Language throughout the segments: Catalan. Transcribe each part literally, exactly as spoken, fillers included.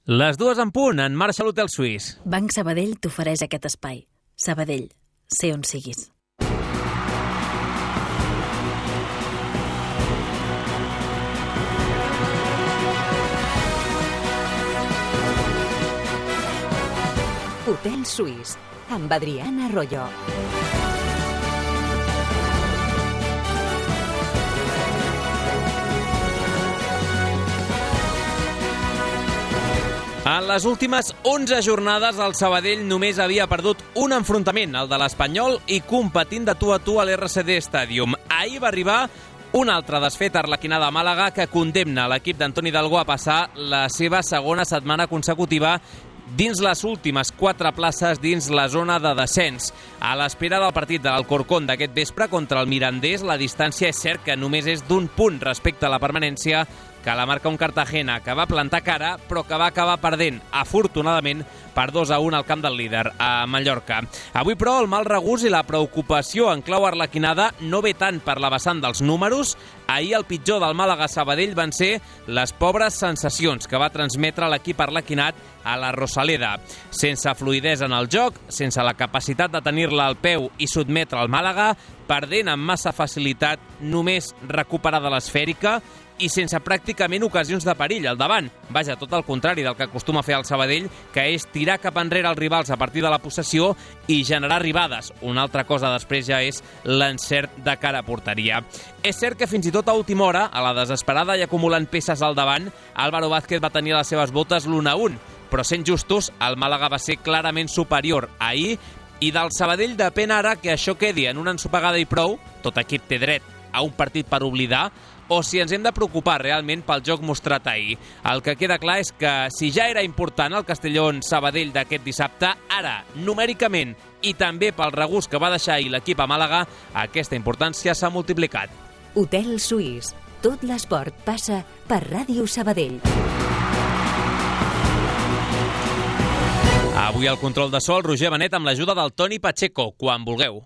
Les dues en punt, en marxa a l'Hotel Suís. Banc Sabadell t'ofereix aquest espai. Sabadell, sé on siguis. Hotel Suís, amb Adriana Arroyo. En les últimes onze jornades, el Sabadell només havia perdut un enfrontament, el de l'Espanyol, i competint de tu a tu a l'R C D Stadium. Ahir va arribar una altra desfeta arlequinada a Màlaga que condemna l'equip d'Antoni Delgó a passar la seva segona setmana consecutiva dins les últimes quatre places dins la zona de descens. A l'espera del partit de l'Alcorcón d'aquest vespre contra el Mirandés, la distància és cert que només és d'un punt respecte a la permanència, que la marca un Cartagena que va plantar cara però que va acabar perdent, afortunadament, per dos a un al camp del líder, a Mallorca. Avui, però, el mal regust i la preocupació en clau arlequinada no ve tant per la vessant dels números. Ahir el pitjor del Màlaga-Sabadell van ser les pobres sensacions que va transmetre l'equip arlequinat a la Rosaleda. Sense fluïdesa en el joc, sense la capacitat de tenir-la al peu i sotmetre el Màlaga, perdent amb massa facilitat només recuperada l'esfèrica i sense pràcticament ocasions de perill al davant. Vaja, tot el contrari del que acostuma a fer el Sabadell, que és tirar cap enrere els rivals a partir de la possessió i generar arribades. Una altra cosa després ja és l'encert de cara a porteria. És cert que fins i tot a última hora, a la desesperada i acumulant peces al davant, Álvaro Vázquez va tenir a les seves botes l'un a un, però sent justos, el Màlaga va ser clarament superior ahir i del Sabadell depèn ara que això quedi en una ensopegada i prou, tot equip té dret a un partit per oblidar, o si ens hem de preocupar realment pel joc mostrat ahir. El que queda clar és que si ja era important el Castellón-Sabadell d'aquest dissabte, ara, numèricament i també pel regust que va deixar ahir l'equip a Màlaga, aquesta importància s'ha multiplicat. Hotel Suís. Tot l'esport passa per Ràdio Sabadell. Avui al control de so, el Roger Benet amb l'ajuda del Toni Pacheco, quan vulgueu.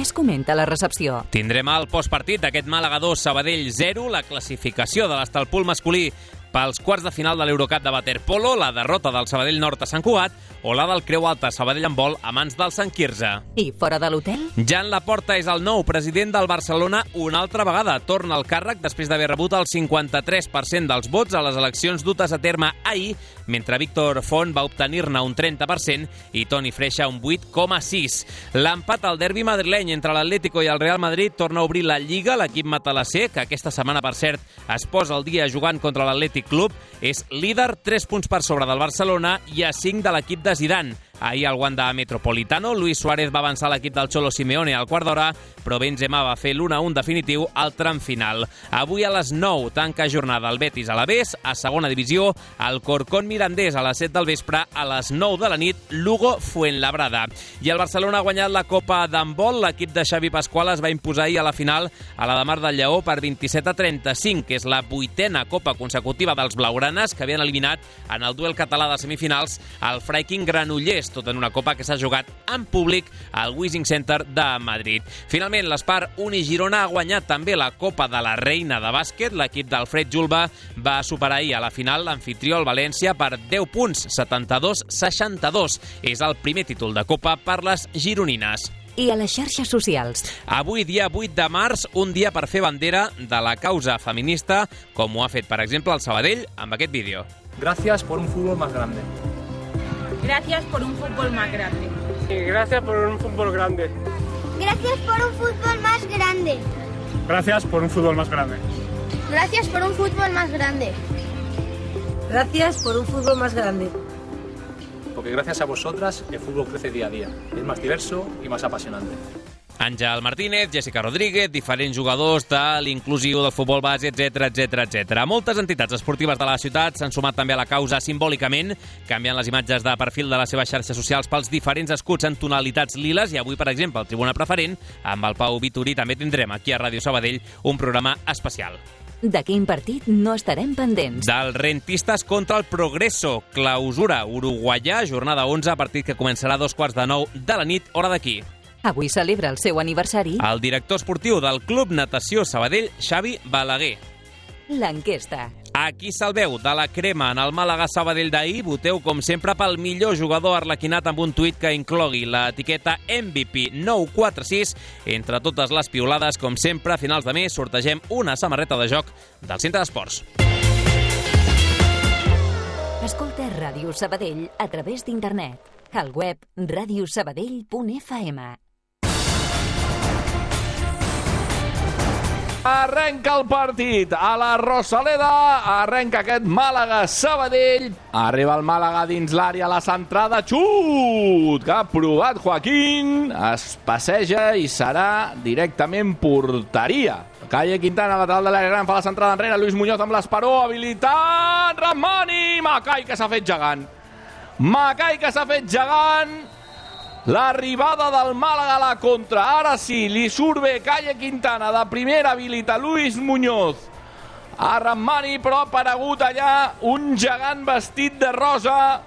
Es comenta la recepció. Tindrem el postpartit d'aquest Màlaga dos, Sabadell zero, la classificació de l'estalpul masculí pels quarts de final de l'Eurocup de waterpolo, la derrota del Sabadell Nord a Sant Cugat o la del Creu Alta Sabadell en vol a mans del Sant Quirze. I fora de l'hotel? Jan Laporta és el nou president del Barcelona una altra vegada. Torna al càrrec després d'haver rebut el cinquanta-tres per cent dels vots a les eleccions dutes a terme ahir, mentre Víctor Font va obtenir-ne un trenta per cent i Toni Freixa un vuit coma sis. L'empat al derbi madrileny entre l'Atlético i el Real Madrid torna a obrir la Lliga. L'equip matalasser, que aquesta setmana, per cert, es posa al dia jugant contra l'Atlètic Club, és líder, tres punts per sobre del Barcelona i a cinc de l'equip de Zidane. Ahir al Wanda Metropolitano, Luis Suárez va avançar l'equip del Cholo Simeone al quart d'hora, però Benzema va fer l'un a un definitiu al tram final. Avui a les nou tanca jornada el Betis a l'Aves, a segona divisió, el Corcón Mirandés a les set del vespre, a les nou de la nit, Lugo Fuenlabrada. I el Barcelona ha guanyat la Copa d'handbol, l'equip de Xavi Pascual es va imposar ahir a la final a la de Mar del Lleó per vint-i-set a trenta-cinc, que és la vuitena copa consecutiva dels blaugranes que havien eliminat en el duel català de semifinals al Freiking Granollers, tot en una copa que s'ha jugat en públic al Wishing Center de Madrid. Finalment, l'Espar Uni-Girona ha guanyat també la Copa de la Reina de bàsquet. L'equip d'Alfred Julba va superar ahir a la final l'anfitrió al València per deu punts, setanta-dos a seixanta-dos. És el primer títol de Copa per les gironines. I a les xarxes socials. Avui, dia vuit de març, un dia per fer bandera de la causa feminista, com ho ha fet, per exemple, el Sabadell amb aquest vídeo. Gracias por un fútbol más grande. Gracias por un fútbol más grande. Gracias por un fútbol grande. Gracias por un fútbol más grande. Gracias por un fútbol más grande. Gracias por un fútbol más grande. Gracias por un fútbol más grande. Porque gracias a vosotras el fútbol crece día a día. Es más diverso y más apasionante. Àngel Martínez, Jessica Rodríguez, diferents jugadors de l'inclusiu del futbol base, etcètera, etcètera, etcètera. Moltes entitats esportives de la ciutat s'han sumat també a la causa simbòlicament, canviant les imatges de perfil de les seves xarxes socials pels diferents escuts en tonalitats liles, i avui, per exemple, el Tribuna Preferent, amb el Pau Vitorí, també tindrem aquí a Ràdio Sabadell un programa especial. De quin partit no estarem pendents? Del Rentistas contra el Progreso, clausura uruguaià, jornada onze, partit que començarà a dos quarts de nou de la nit, hora d'aquí. Avui celebra el seu aniversari el director esportiu del Club Natació Sabadell, Xavi Balaguer. l'enquesta. A qui se'l veu de la crema en el Màlaga-Sabadell d'ahir? Voteu, com sempre, pel millor jugador arlequinat amb un tuit que inclogui l'etiqueta M V P nou quatre sis. Entre totes les piolades, com sempre, a finals de mes sortegem una samarreta de joc del Centre d'Esports. Escolta Ràdio Sabadell a través d'internet. Al web radiosabadell punt f m. Arrenca el partit a la Rosaleda, arrenca aquest Màlaga-Sabadell, arriba el Màlaga dins l'àrea, la centrada, xut, que ha provat Joaquín, es passeja i serà directament porteria. Calle Quintana, lateral de l'àrea gran, fa la centrada enrere, Luis Muñoz amb l'esperó, habilitat, Ramani, Macai que s'ha fet gegant. Macai que s'ha fet gegant. L'arribada del Màlaga a la contra. Ara sí, li surt bé Calle Quintana. De primera habilita Luis Muñoz a Ramani, però ha aparegut allà un gegant vestit de rosa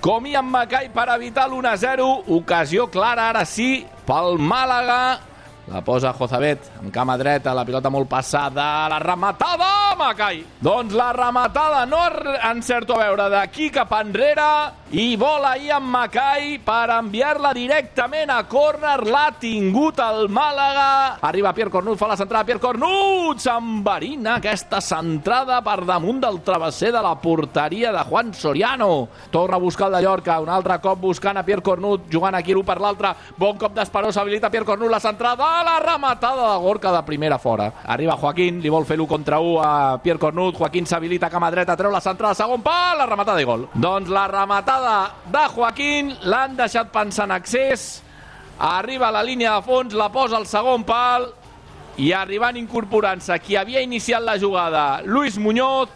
com Ian Macai per evitar l'u a zero. Ocasió clara, ara sí, pel Màlaga. La posa Jozabet amb cama dreta, la pilota molt passada, la rematada, Macai. Doncs la rematada no encerto a veure d'aquí cap enrere i vola Ian Macai per enviar-la directament a córner. L'ha tingut el Màlaga. Arriba Pierre Cornut, fa la centrada, Pierre Cornut s'enverina aquesta centrada per damunt del travesser de la porteria de Juan Soriano. Torna a buscar el de Llorca, un altre cop buscant a Pierre Cornut, jugant aquí l'un per l'altre. Bon cop d'Esperó, s'habilita Pierre Cornut, la centrada, la rematada de Gorka de primera fora. Arriba Joaquín, li vol fer l'u contra u a Pierre Cornut. Joaquín s'habilita a cama dreta, treu la centrada, segon pal, la rematada i gol. Doncs la rematada de Joaquín l'han deixat pensant accés. Arriba a la línia de fons, la posa al segon pal i arribant incorporant-se qui havia iniciat la jugada, Luis Muñoz,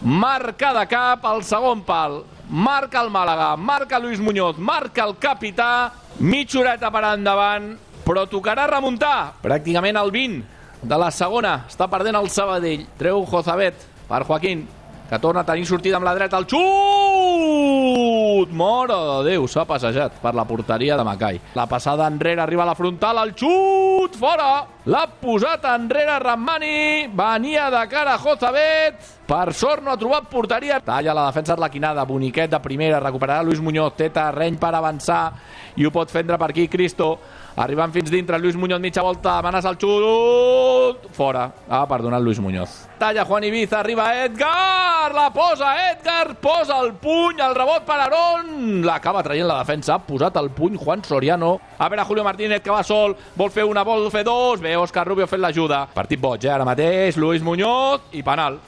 marca de cap al segon pal. Marca el Màlaga, marca Luis Muñoz, marca el capità, mitja horeta per endavant, però tocarà remuntar. Pràcticament al vint de la segona està perdent el Sabadell. Treu Jozabet per Joaquín, que torna a tenir sortida amb la dreta. El xut! Mare de Déu, s'ha passejat per la porteria de Macai. La passada enrere, arriba a la frontal, el xut! Fora! L'ha posat enrere Ramani, venia de cara a Jozabet. Per sort no ha trobat porteria. Talla la defensa arlequinada, boniquet de primera, recuperarà Luis Muñoz, té terreny per avançar i ho pot fendre per aquí Cristo. Arribant fins dintre, Luis Muñoz, mitja volta, amenaça el xut, fora. Ha perdonat Luis Muñoz. Talla Juan Ibiza, arriba Edgar, la posa Edgar, posa el puny, el rebot per Aarón, l'acaba traient la defensa, ha posat el puny Juan Soriano. A veure Julio Martínez, que va sol, vol fer una, vol fer dos, bé, Òscar Rubio fent l'ajuda. Partit boig, eh, ara mateix, Luis Muñoz i penal.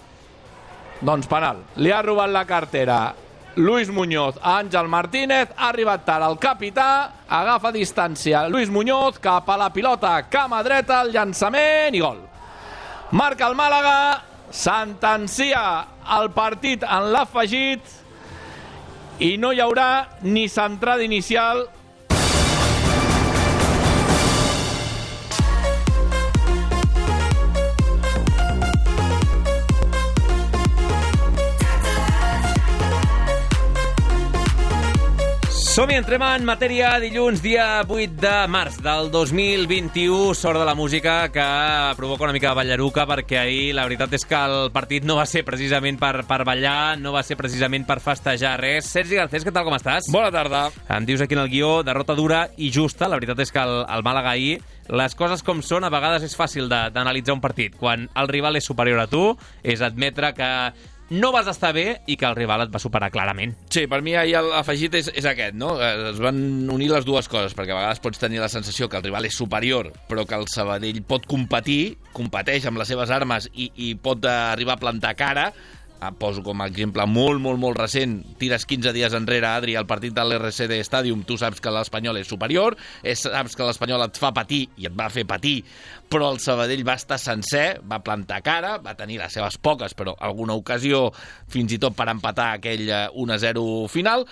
Doncs penal, li ha robat la cartera Luis Muñoz a Àngel Martínez, ha arribat tard el capità, agafa distància Luis Muñoz cap a la pilota, cama dreta, el llançament i gol. Marca el Màlaga, sentencia el partit en l'afegit i no hi haurà ni centrada inicial. Som-hi, entrem en matèria. Dilluns, dia vuit de març del dos mil vint-i-u. Sort de la música que provoca una mica de ballaruca, perquè ahir la veritat és que el partit no va ser precisament per, per ballar, no va ser precisament per festejar res. Sergi Garcés, què tal, com estàs? Bona tarda. Em dius aquí en el guió, derrota dura i justa. La veritat és que el, el Màlaga ahir, les coses com són, a vegades és fàcil d'analitzar un partit. Quan el rival és superior a tu, és admetre que no vas estar bé i que el rival et va superar clarament. Sí, per mi ahir l'afegit és, és aquest, no? Es van unir les dues coses, perquè a vegades pots tenir la sensació que el rival és superior, però que el Sabadell pot competir, competeix amb les seves armes i, i pot arribar a plantar cara. Poso com a exemple molt, molt, molt recent, tires quinze dies enrere, Adri, al partit de l'R C D Stadium, tu saps que l'Espanyol és superior, saps que l'Espanyol et fa patir i et va fer patir, però el Sabadell va estar sencer, va plantar cara, va tenir les seves poques, però alguna ocasió, fins i tot per empatar aquell u a zero final.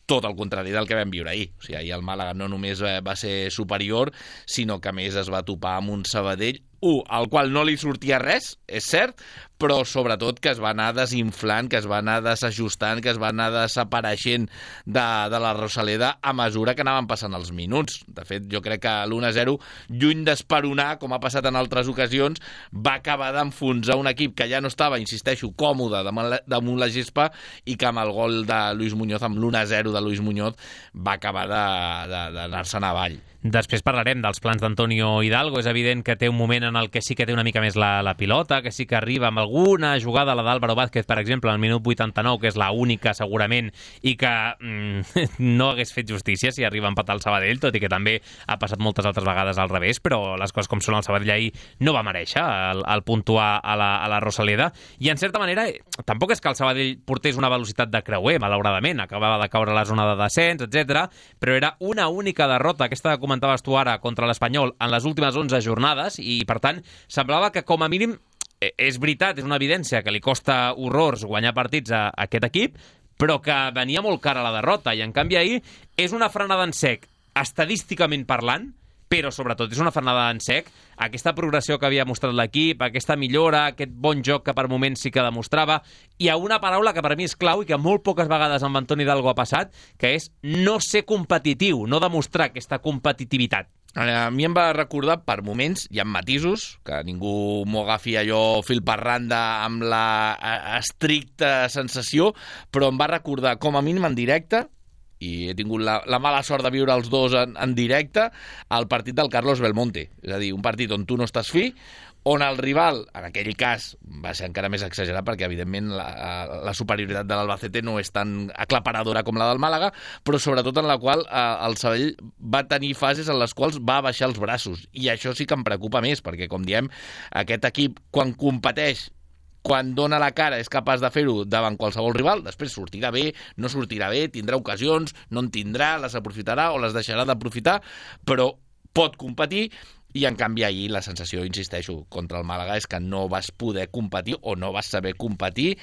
Tot el contrari del que vam viure ahir. O sigui, ahir el Màlaga no només va ser superior, sinó que a més es va topar amb un Sabadell, un, al qual no li sortia res, és cert, però sobretot que es va anar desinflant, que es va anar desajustant, que es va anar desapareixent de, de la Rosaleda a mesura que anaven passant els minuts. De fet, jo crec que l'u a zero, lluny d'esperonar, com ha passat en altres ocasions, va acabar d'enfonsar un equip que ja no estava, insisteixo, còmode damunt la gespa i que amb el gol de Luis Muñoz, amb l'u a zero de Luis Muñoz, va acabar d'anar-se'n avall. Després parlarem dels plans d'Antonio Hidalgo. És evident que té un moment en el que sí que té una mica més la, la pilota, que sí que arriba amb alguna jugada, la d'Álvaro Vázquez, per exemple, al minut vuitanta-nou, que és la única segurament, i que mm, no hagués fet justícia si arriba a empatar el Sabadell, tot i que també ha passat moltes altres vegades al revés, però les coses com són, el Sabadell ahir no va merèixer el, el puntuar a la, a la Rosaleda, i en certa manera tampoc és que el Sabadell portés una velocitat de creuer, malauradament, acabava de caure a la zona de descens, etcètera, però era una única derrota, aquesta de comentaves tu ara, contra l'Espanyol en les últimes onze jornades, i per tant semblava que com a mínim, és veritat, és una evidència que li costa horrors guanyar partits a, a aquest equip, però que venia molt cara la derrota, i en canvi ahir és una frenada en sec, estadísticament parlant, però sobretot és una frenada en sec, aquesta progressió que havia mostrat l'equip, aquesta millora, aquest bon joc que per moments sí que demostrava, i a una paraula que per mi és clau i que molt poques vegades amb Antoni Hidalgo ha passat, que és no ser competitiu, no demostrar aquesta competitivitat. A mi em va recordar, per moments, hi ha matisos, que ningú m'ho agafi allò fil per randa amb la estricta sensació, però em va recordar, com a mínim en directe, i he tingut la, la mala sort de viure els dos en, en directe, el partit del Carlos Belmonte. És a dir, un partit on tu no estàs fi, on el rival, en aquell cas, va ser encara més exagerat perquè, evidentment, la, la superioritat de l'Albacete no és tan aclaparadora com la del Màlaga, però sobretot en la qual eh, el Sabadell va tenir fases en les quals va baixar els braços. I això sí que em preocupa més, perquè, com diem, aquest equip, quan competeix, quan dona la cara és capaç de fer-ho davant qualsevol rival, després sortirà bé, no sortirà bé, tindrà ocasions, no en tindrà, les aprofitarà o les deixarà d'aprofitar, però pot competir, i en canvi ahir la sensació, insisteixo, contra el Màlaga és que no vas poder competir o no vas saber competir,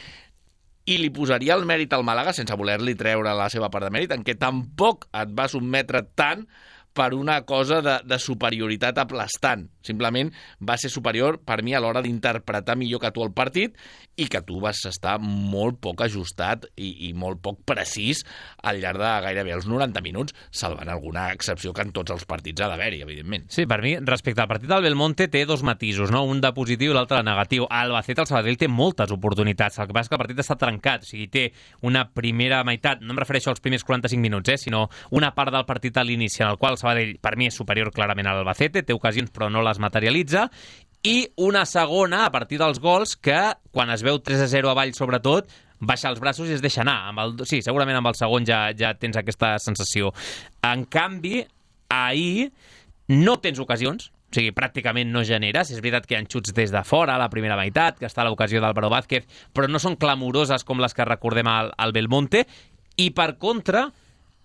i li posaria el mèrit al Màlaga sense voler-li treure la seva part de mèrit, en què tampoc et va sotmetre tant per una cosa de, de superioritat aplastant. Simplement va ser superior per mi a l'hora d'interpretar millor que tu el partit, i que tu vas estar molt poc ajustat i, i molt poc precís al llarg de gairebé els noranta minuts, salvant alguna excepció que en tots els partits ha d'haver-hi, evidentment. Sí, per mi, respecte al partit del Belmonte, té dos matisos, no? Un de positiu i l'altre de negatiu. A Albacete, el Sabadell té moltes oportunitats, el que passa és que el partit està trencat, o sigui, té una primera meitat, no em refereixo als primers quaranta-cinc minuts, eh, sinó una part del partit a l'inici, en el qual el Sabadell, per mi, és superior clarament a l'Albacete, té ocasions però no les materialitza, i una segona a partir dels gols que, quan es veu tres a zero avall sobretot, baixa els braços i es deixa anar. Amb el, sí, segurament amb el segon ja, ja tens aquesta sensació. En canvi, ahir no tens ocasions, o sigui, pràcticament no generes. És veritat que hi ha xuts des de fora, a la primera meitat, que està l'ocasió d'Álvaro Vázquez, però no són clamoroses com les que recordem al, al Belmonte, i per contra,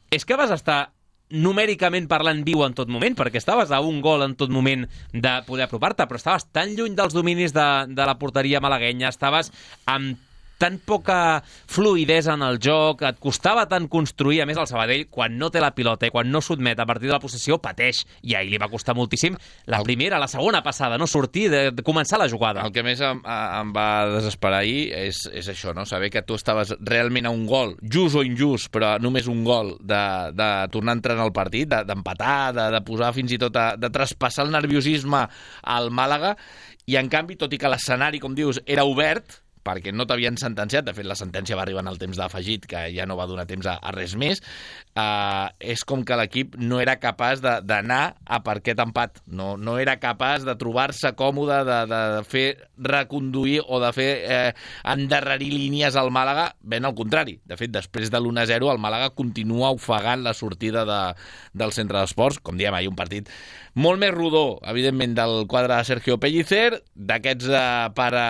és que vas estar numèricament parlant viu en tot moment, perquè estaves a un gol en tot moment de poder apropar-te, però estaves tan lluny dels dominis de, de la porteria malaguenya, estaves amb tan poca fluïdesa en el joc, et costava tant construir. A més, el Sabadell, quan no té la pilota i quan no sotmet a partir de la possessió, pateix, i ahir li va costar moltíssim la primera, la segona passada, no sortir, de, de començar la jugada. El que més em, em va desesperar ahir és, és això, no? Saber que tu estaves realment a un gol, just o injust, però només un gol, de, de tornar a entrar en el partit, d'empatar, de, de, de posar fins i tot, a, de traspassar el nerviosisme al Màlaga, i en canvi, tot i que l'escenari, com dius, era obert, perquè no t'havien sentenciat, de fet la sentència va arribar en el temps d'afegit, que ja no va donar temps a, a res més, uh, és com que l'equip no era capaç d'anar a per aquest empat, no, no era capaç de trobar-se còmode, de, de fer reconduir o de fer eh, endarrerir línies al Màlaga, ben al contrari. De fet, després de l'u a zero, el Màlaga continua ofegant la sortida de, del centre d'esports, com diem, ahir un partit molt més rodó, evidentment, del quadre de Sergio Pellicer, d'aquests eh, per a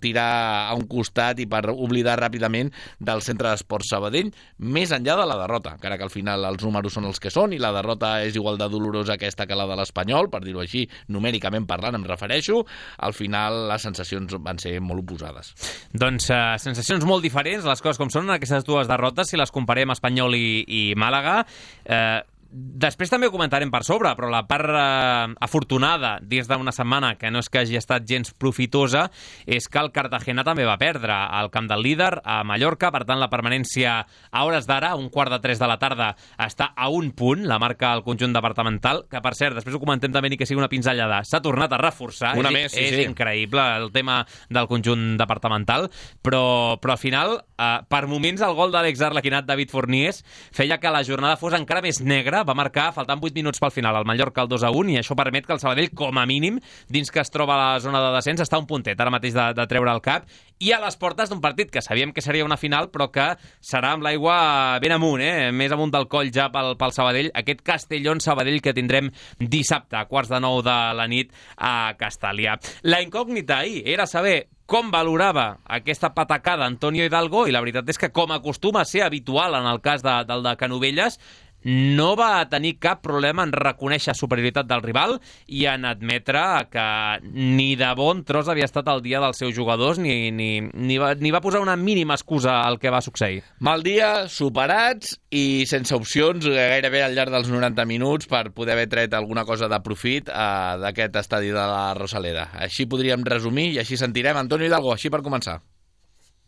tirar a un costat i per oblidar ràpidament del centre d'esports Sabadell, més enllà de la derrota, encara que al final els números són els que són i la derrota és igual de dolorosa aquesta que la de l'Espanyol, per dir-ho així, numèricament parlant em refereixo, al final les sensacions van ser molt oposades. Doncs uh, sensacions molt diferents, les coses com són en aquestes dues derrotes, si les comparem Espanyol i, i Màlaga. Eh... Uh... Després també ho comentarem per sobre, però la part eh, afortunada dins d'una setmana, que no és que hagi estat gens profitosa, és que el Cartagena també va perdre al camp del líder, a Mallorca. Per tant, la permanència a hores d'ara, un quart de tres de la tarda, està a un punt, la marca el conjunt departamental, que per cert, després ho comentem també, ni que sigui una pinzellada, s'ha tornat a reforçar. Una és, més, sí, és sí. increïble el tema del conjunt departamental, però, però al final, eh, per moments, el gol de l'exarlequinat David Forniés feia que la jornada fos encara més negra. Va marcar, faltant vuit minuts pel final, al Mallorca el dos a un, i això permet que el Sabadell, com a mínim, dins que es troba a la zona de descens, està a un puntet ara mateix de, de treure el cap, i a les portes d'un partit que sabíem que seria una final, però que serà amb l'aigua ben amunt, eh? més amunt del coll ja pel, pel Sabadell, aquest Castellón-Sabadell que tindrem dissabte a quarts de nou de la nit a Castàlia. La incògnita ahir era saber com valorava aquesta patacada Antonio Hidalgo, i la veritat és que, com acostuma a ser habitual en el cas de, del de Canovelles, no va tenir cap problema en reconèixer superioritat del rival i en admetre que ni de bon tros havia estat el dia dels seus jugadors, ni, ni, ni, va, ni va posar una mínima excusa al que va succeir. Mal dia, superats i sense opcions gairebé al llarg dels noranta minuts per poder haver tret alguna cosa de profit eh, d'aquest estadi de la Rosaleda. Així podríem resumir i així sentirem Antonio Hidalgo, així per començar.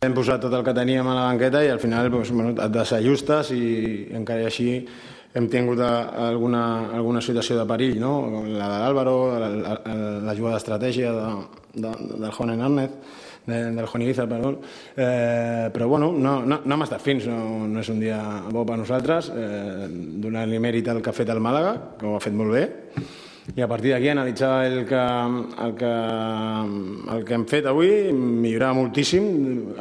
Hem posat tot el que teníem a la banqueta i al final doncs, bueno, et desajustes i encara així hem tingut alguna, alguna situació de perill, no? La de l'Àlvaro, la, la, la jugada d'estratègia de, de, del Juan Hernández, de, del Juan Irizar, perdó. Eh, però bueno, no, no, no hem estat fins, no, no és un dia bo per nosaltres, eh, donar-li mèrit al que ha fet el Màlaga, que ho ha fet molt bé, i a partir d'aquí analitzar el que, el, que, el que hem fet avui, millorar moltíssim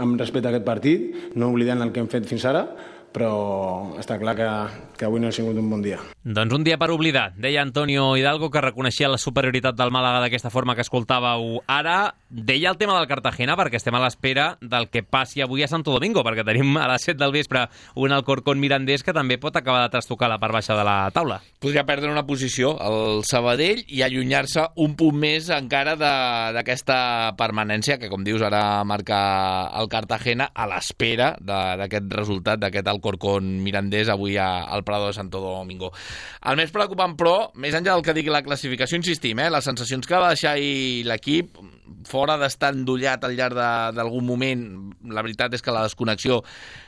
amb respecte a aquest partit, no oblidant el que hem fet fins ara, però està clar que, que avui no ha sigut un bon dia. Doncs un dia per oblidar, deia Antonio Hidalgo, que reconeixia la superioritat del Màlaga d'aquesta forma que escoltàveu ara. Deia el tema del Cartagena perquè estem a l'espera del que passi avui a Santo Domingo, perquè tenim a les set del vespre un Alcorcón Mirandés que també pot acabar de trastocar la part baixa de la taula. Podria perdre una posició el Sabadell i allunyar-se un punt més encara d'aquesta permanència que, com dius, ara marca el Cartagena a l'espera d'aquest resultat, d'aquest Alcorcón Mirandés avui a, al Prado de Santo Domingo. El més preocupant, però, més enllà del que digui la classificació, insistim, eh, les sensacions que va deixar ahir l'equip, fora d'estar endollat al llarg d'algun moment, la veritat és que la desconnexió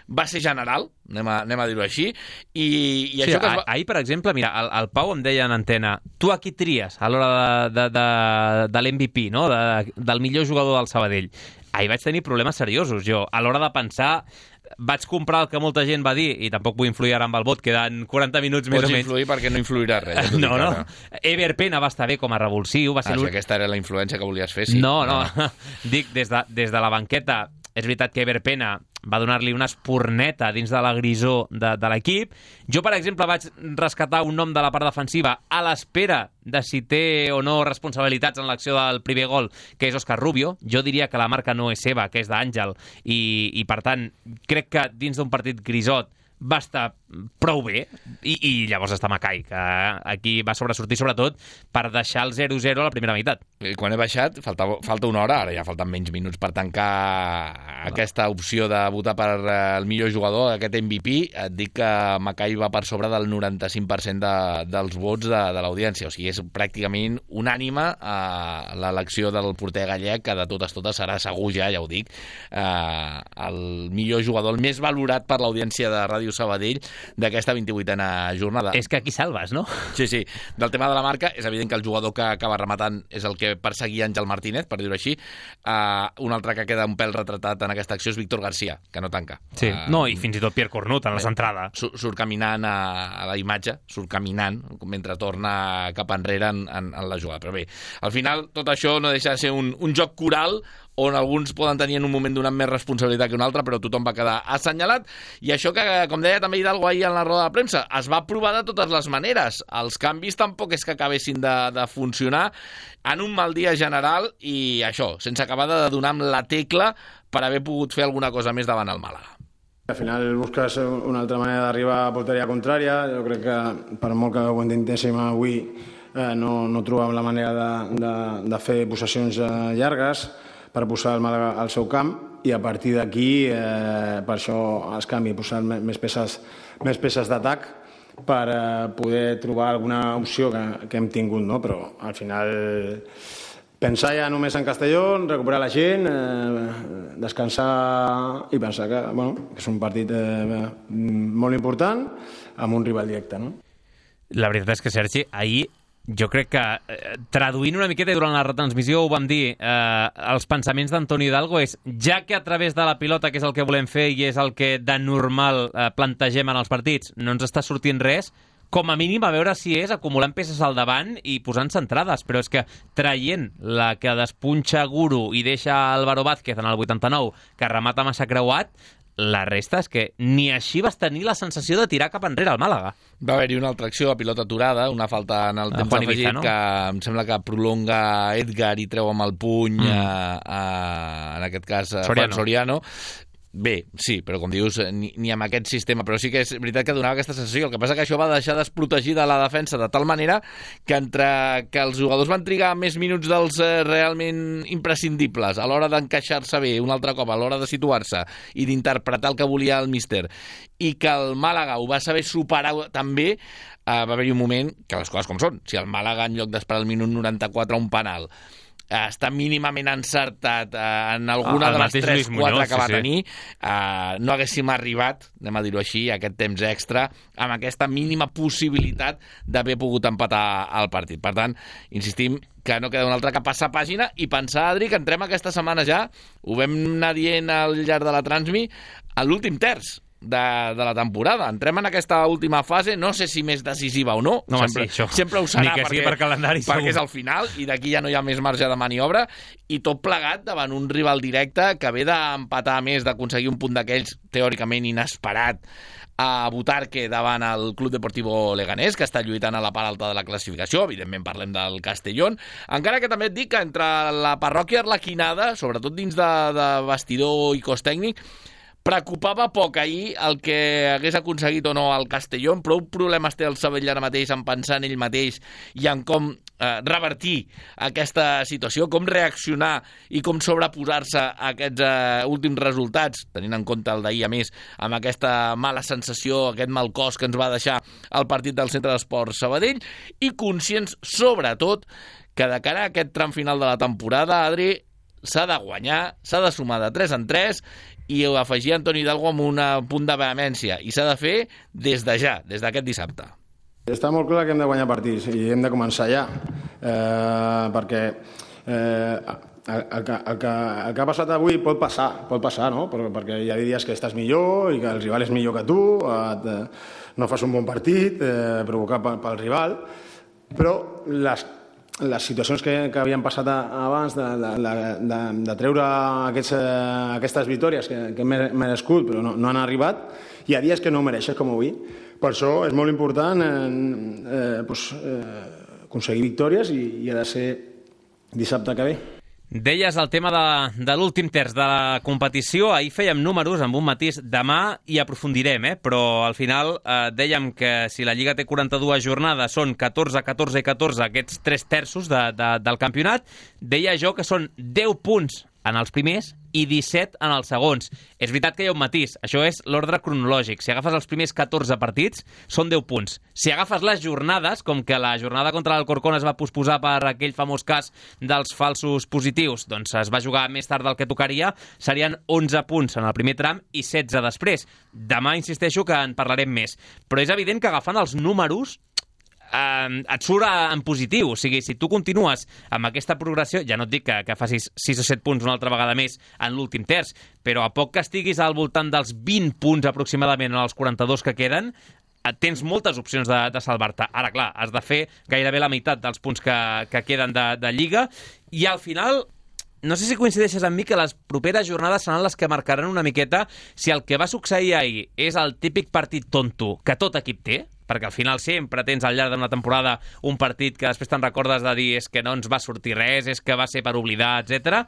va ser general, anem a, anem a dir-ho així, i, i sí, això que es va... Ahir, per exemple, mira, el, el Pau em deia en antena, tu a qui tries a l'hora de, de, de, de l'M V P, no? de, del millor jugador del Sabadell? Ahir vaig tenir problemes seriosos, jo, a l'hora de pensar... Vaig comprar el que molta gent va dir, i tampoc vull influir ara amb el vot, queden quaranta minuts més Pots o menys. Pots influir perquè no influirà res. Ja no, no. Ever Pena va estar bé com a revulsiu. Va ser ah, si aquesta era la influència que volies fer, sí. No, no. no. Dic, des de, des de la banqueta, és veritat que Ever Pena va donar-li una espurneta dins de la grisó de, de l'equip. Jo, per exemple, vaig rescatar un nom de la part defensiva a l'espera de si té o no responsabilitats en l'acció del primer gol, que és Òscar Rubio. Jo diria que la marca no és seva, que és d'Àngel, i, i per tant, crec que dins d'un partit grisot va estar prou bé, i, i llavors està Macai, que aquí va sobresortir sobretot per deixar el zero zero a la primera meitat. I quan he baixat, falta, falta una hora, ara ja falten menys minuts per tancar aquesta opció de votar per el millor jugador, aquest M V P. Et dic que Macai va per sobre del noranta-cinc per cent de, dels vots de, de l'audiència, o sigui, és pràcticament unànime a l'elecció del porter gallec, que de totes totes serà segur ja, ja ho dic, eh, el millor jugador, el més valorat per l'audiència de Ràdio Sabadell d'aquesta vint-i-vuitena jornada. És que aquí salves, no? Sí, sí. Del tema de la marca, és evident que el jugador que acaba rematant és el que perseguia Àngel Martínez, per dir-ho així. Uh, un altre que queda un pèl retratat en aquesta acció és Víctor García, que no tanca. Sí, uh, no, i fins i tot Pierre Cornut en la centrada. Surt, surt caminant a, a la imatge, surt caminant mentre torna cap enrere en, en, en la jugada. Però bé, al final tot això no deixa de ser un, un joc coral on alguns poden tenir en un moment donat més responsabilitat que un altre, però tothom va quedar assenyalat. I això que, com deia també Hidalgo ahir en la roda de premsa, es va provar de totes les maneres. Els canvis tampoc és que acabessin de, de funcionar en un mal dia general i això, sense acabar de donar amb la tecla per haver pogut fer alguna cosa més davant el Màlaga. Al final busques una altra manera d'arribar a porteria contrària. Jo crec que per molt que ho intentéssim avui eh, no, no trobàvem la manera de, de, de fer possessions eh, llargues per posar el Màlaga al seu camp, i a partir d'aquí, eh, per això es canvi, posar més peces, més peces d'atac, per eh, poder trobar alguna opció que, que hem tingut, no? Però al final pensar ja només en Castelló, recuperar la gent, eh, descansar i pensar que, bueno, que és un partit eh, molt important amb un rival directe, no? La veritat és que, Sergi, ahir jo crec que, eh, traduint una miqueta, i durant la retransmissió ho vam dir, eh, els pensaments d'Antonio Hidalgo és, ja que a través de la pilota, que és el que volem fer i és el que de normal eh, plantegem en els partits, no ens està sortint res, com a mínim a veure si és acumulant peces al davant i posant centrades, però és que traient la que despunxa Guru i deixa Álvaro Vázquez en el vuitanta-nou, que remata massa creuat, la resta és que ni així vas tenir la sensació de tirar cap enrere al Màlaga. Va haver-hi una altra acció a pilota aturada, una falta en el temps Juan afegit, Ibiza, no? que em sembla que prolonga Edgar i treu amb el puny, mm. a, a, en aquest cas, a Juan Soriano. Bé, sí, però com dius, ni, ni amb aquest sistema, però sí que és veritat que donava aquesta sensació. El que passa que això va deixar desprotegida la defensa de tal manera que entre que els jugadors van trigar més minuts dels eh, realment imprescindibles a l'hora d'encaixar-se bé un altre cop, a l'hora de situar-se i d'interpretar el que volia el míster, i que el Màlaga ho va saber superar també, eh, va haver-hi un moment que les coses com són. Si el Màlaga, en lloc d'esperar el minut noranta-quatre un penal, està mínimament encertat eh, en alguna ah, de les tres quatre que va sí, tenir, eh, no haguéssim arribat, anem a dir-ho així, a aquest temps extra, amb aquesta mínima possibilitat d'haver pogut empatar el partit. Per tant, insistim que no queda una altra que passar pàgina i pensar, Adri, que entrem aquesta setmana ja, ho vam anar dient al llarg de la Transmi, a l'últim terç de, de la temporada. Entrem en aquesta última fase, no sé si més decisiva o no, no sempre, sí, sempre ho serà perquè, perquè, per calendari, perquè és al final i d'aquí ja no hi ha més marge de maniobra, i tot plegat davant un rival directe que ve d'empatar més, d'aconseguir un punt d'aquells teòricament inesperat a Butarque davant el Club Deportivo Leganés, que està lluitant a la part alta de la classificació. Evidentment parlem del Castellón, encara que també et dic que entre la parròquia arlequinada, sobretot dins de, de vestidor i cos tècnic, preocupava poc ahir el que hagués aconseguit o no el Castellón. Prou problemes té el Sabadell ara mateix en pensar en ell mateix i en com eh, revertir aquesta situació, com reaccionar i com sobreposar-se a aquests eh, últims resultats, tenint en compte el d'ahir, a més, amb aquesta mala sensació, aquest mal cos que ens va deixar el partit del Centre d'Esports Sabadell, i conscients, sobretot, que de cara a aquest tram final de la temporada, Adri, s'ha de guanyar, s'ha de sumar de tres en tres, i ho afegia Antoni Hidalgo amb un punt de vehemència, i s'ha de fer des de ja, des d'aquest dissabte. Està molt clar que hem de guanyar partits i hem de començar ja, eh, perquè eh, el, el, que, el, que, el que ha passat avui pot passar, pot passar, no? Perquè hi ha dies que estàs millor i que el rival és millor que tu, et, no fas un bon partit, eh, provocat pel, pel rival, però les les situacions que, que havien passat abans de, de, de, de treure aquests, aquestes victòries que, que hem merescut però no, no han arribat, hi ha dies que no mereixes com avui. Per això és molt important eh, eh, pues, eh, aconseguir victòries i, i ha de ser dissabte que ve. Deies el tema de, de l'últim terç de la competició. Ahir fèiem números amb un matís. Demà hi aprofundirem, eh? Però al final eh, dèiem que si la Lliga té quaranta-dues jornades, són catorze, catorze i catorze aquests tres terços de, de, del campionat. Deia jo que són deu punts en els primers i disset en els segons. És veritat que hi ha un matís, això és l'ordre cronològic. Si agafes els primers catorze partits, són deu punts. Si agafes les jornades, com que la jornada contra l'Alcorcón es va posposar per aquell famós cas dels falsos positius, doncs es va jugar més tard del que tocaria, serien onze punts en el primer tram i setze després. Demà insisteixo que en parlarem més. Però és evident que agafant els números Uh, et surt en positiu. O sigui, si tu continues amb aquesta progressió, ja no et dic que, que facis sis o set punts una altra vegada més en l'últim terç, però a poc que estiguis al voltant dels vint punts aproximadament en els quaranta-dos que queden, tens moltes opcions de, de salvar-te. Ara, clar, has de fer gairebé la meitat dels punts que, que queden de, de Lliga, i al final no sé si coincideixes amb mi que les properes jornades seran les que marcaran una miqueta si el que va succeir ahir és el típic partit tonto que tot equip té, perquè al final sempre tens al llarg d'una temporada un partit que després te'n recordes de dir és que no ens va sortir res, és que va ser per oblidar, etcètera,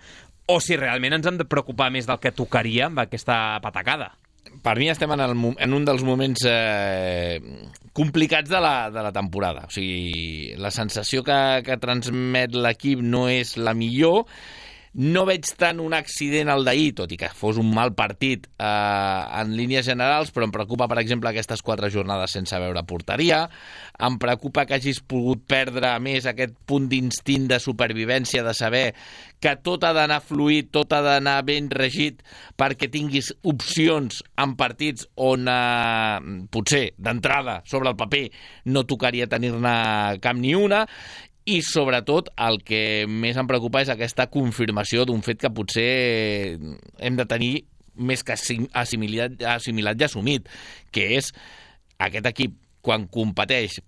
o si realment ens hem de preocupar més del que tocaria amb aquesta patacada. Per mi estem en, el, en un dels moments eh, complicats de la, de la temporada. O sigui, la sensació que, que transmet l'equip no és la millor. No veig tant un accident al d'ahir, tot i que fos un mal partit eh, en línies generals, però em preocupa, per exemple, aquestes quatre jornades sense veure porteria. Em preocupa que hagis pogut perdre més aquest punt d'instint de supervivència, de saber que tot ha d'anar fluid, tot ha d'anar ben regit perquè tinguis opcions en partits on eh, potser d'entrada sobre el paper no tocaria tenir-ne cap ni una. I, sobretot, el que més em preocupa és aquesta confirmació d'un fet que potser hem de tenir més que assimilat, assimilat i assumit, que és aquest equip, quan competeix,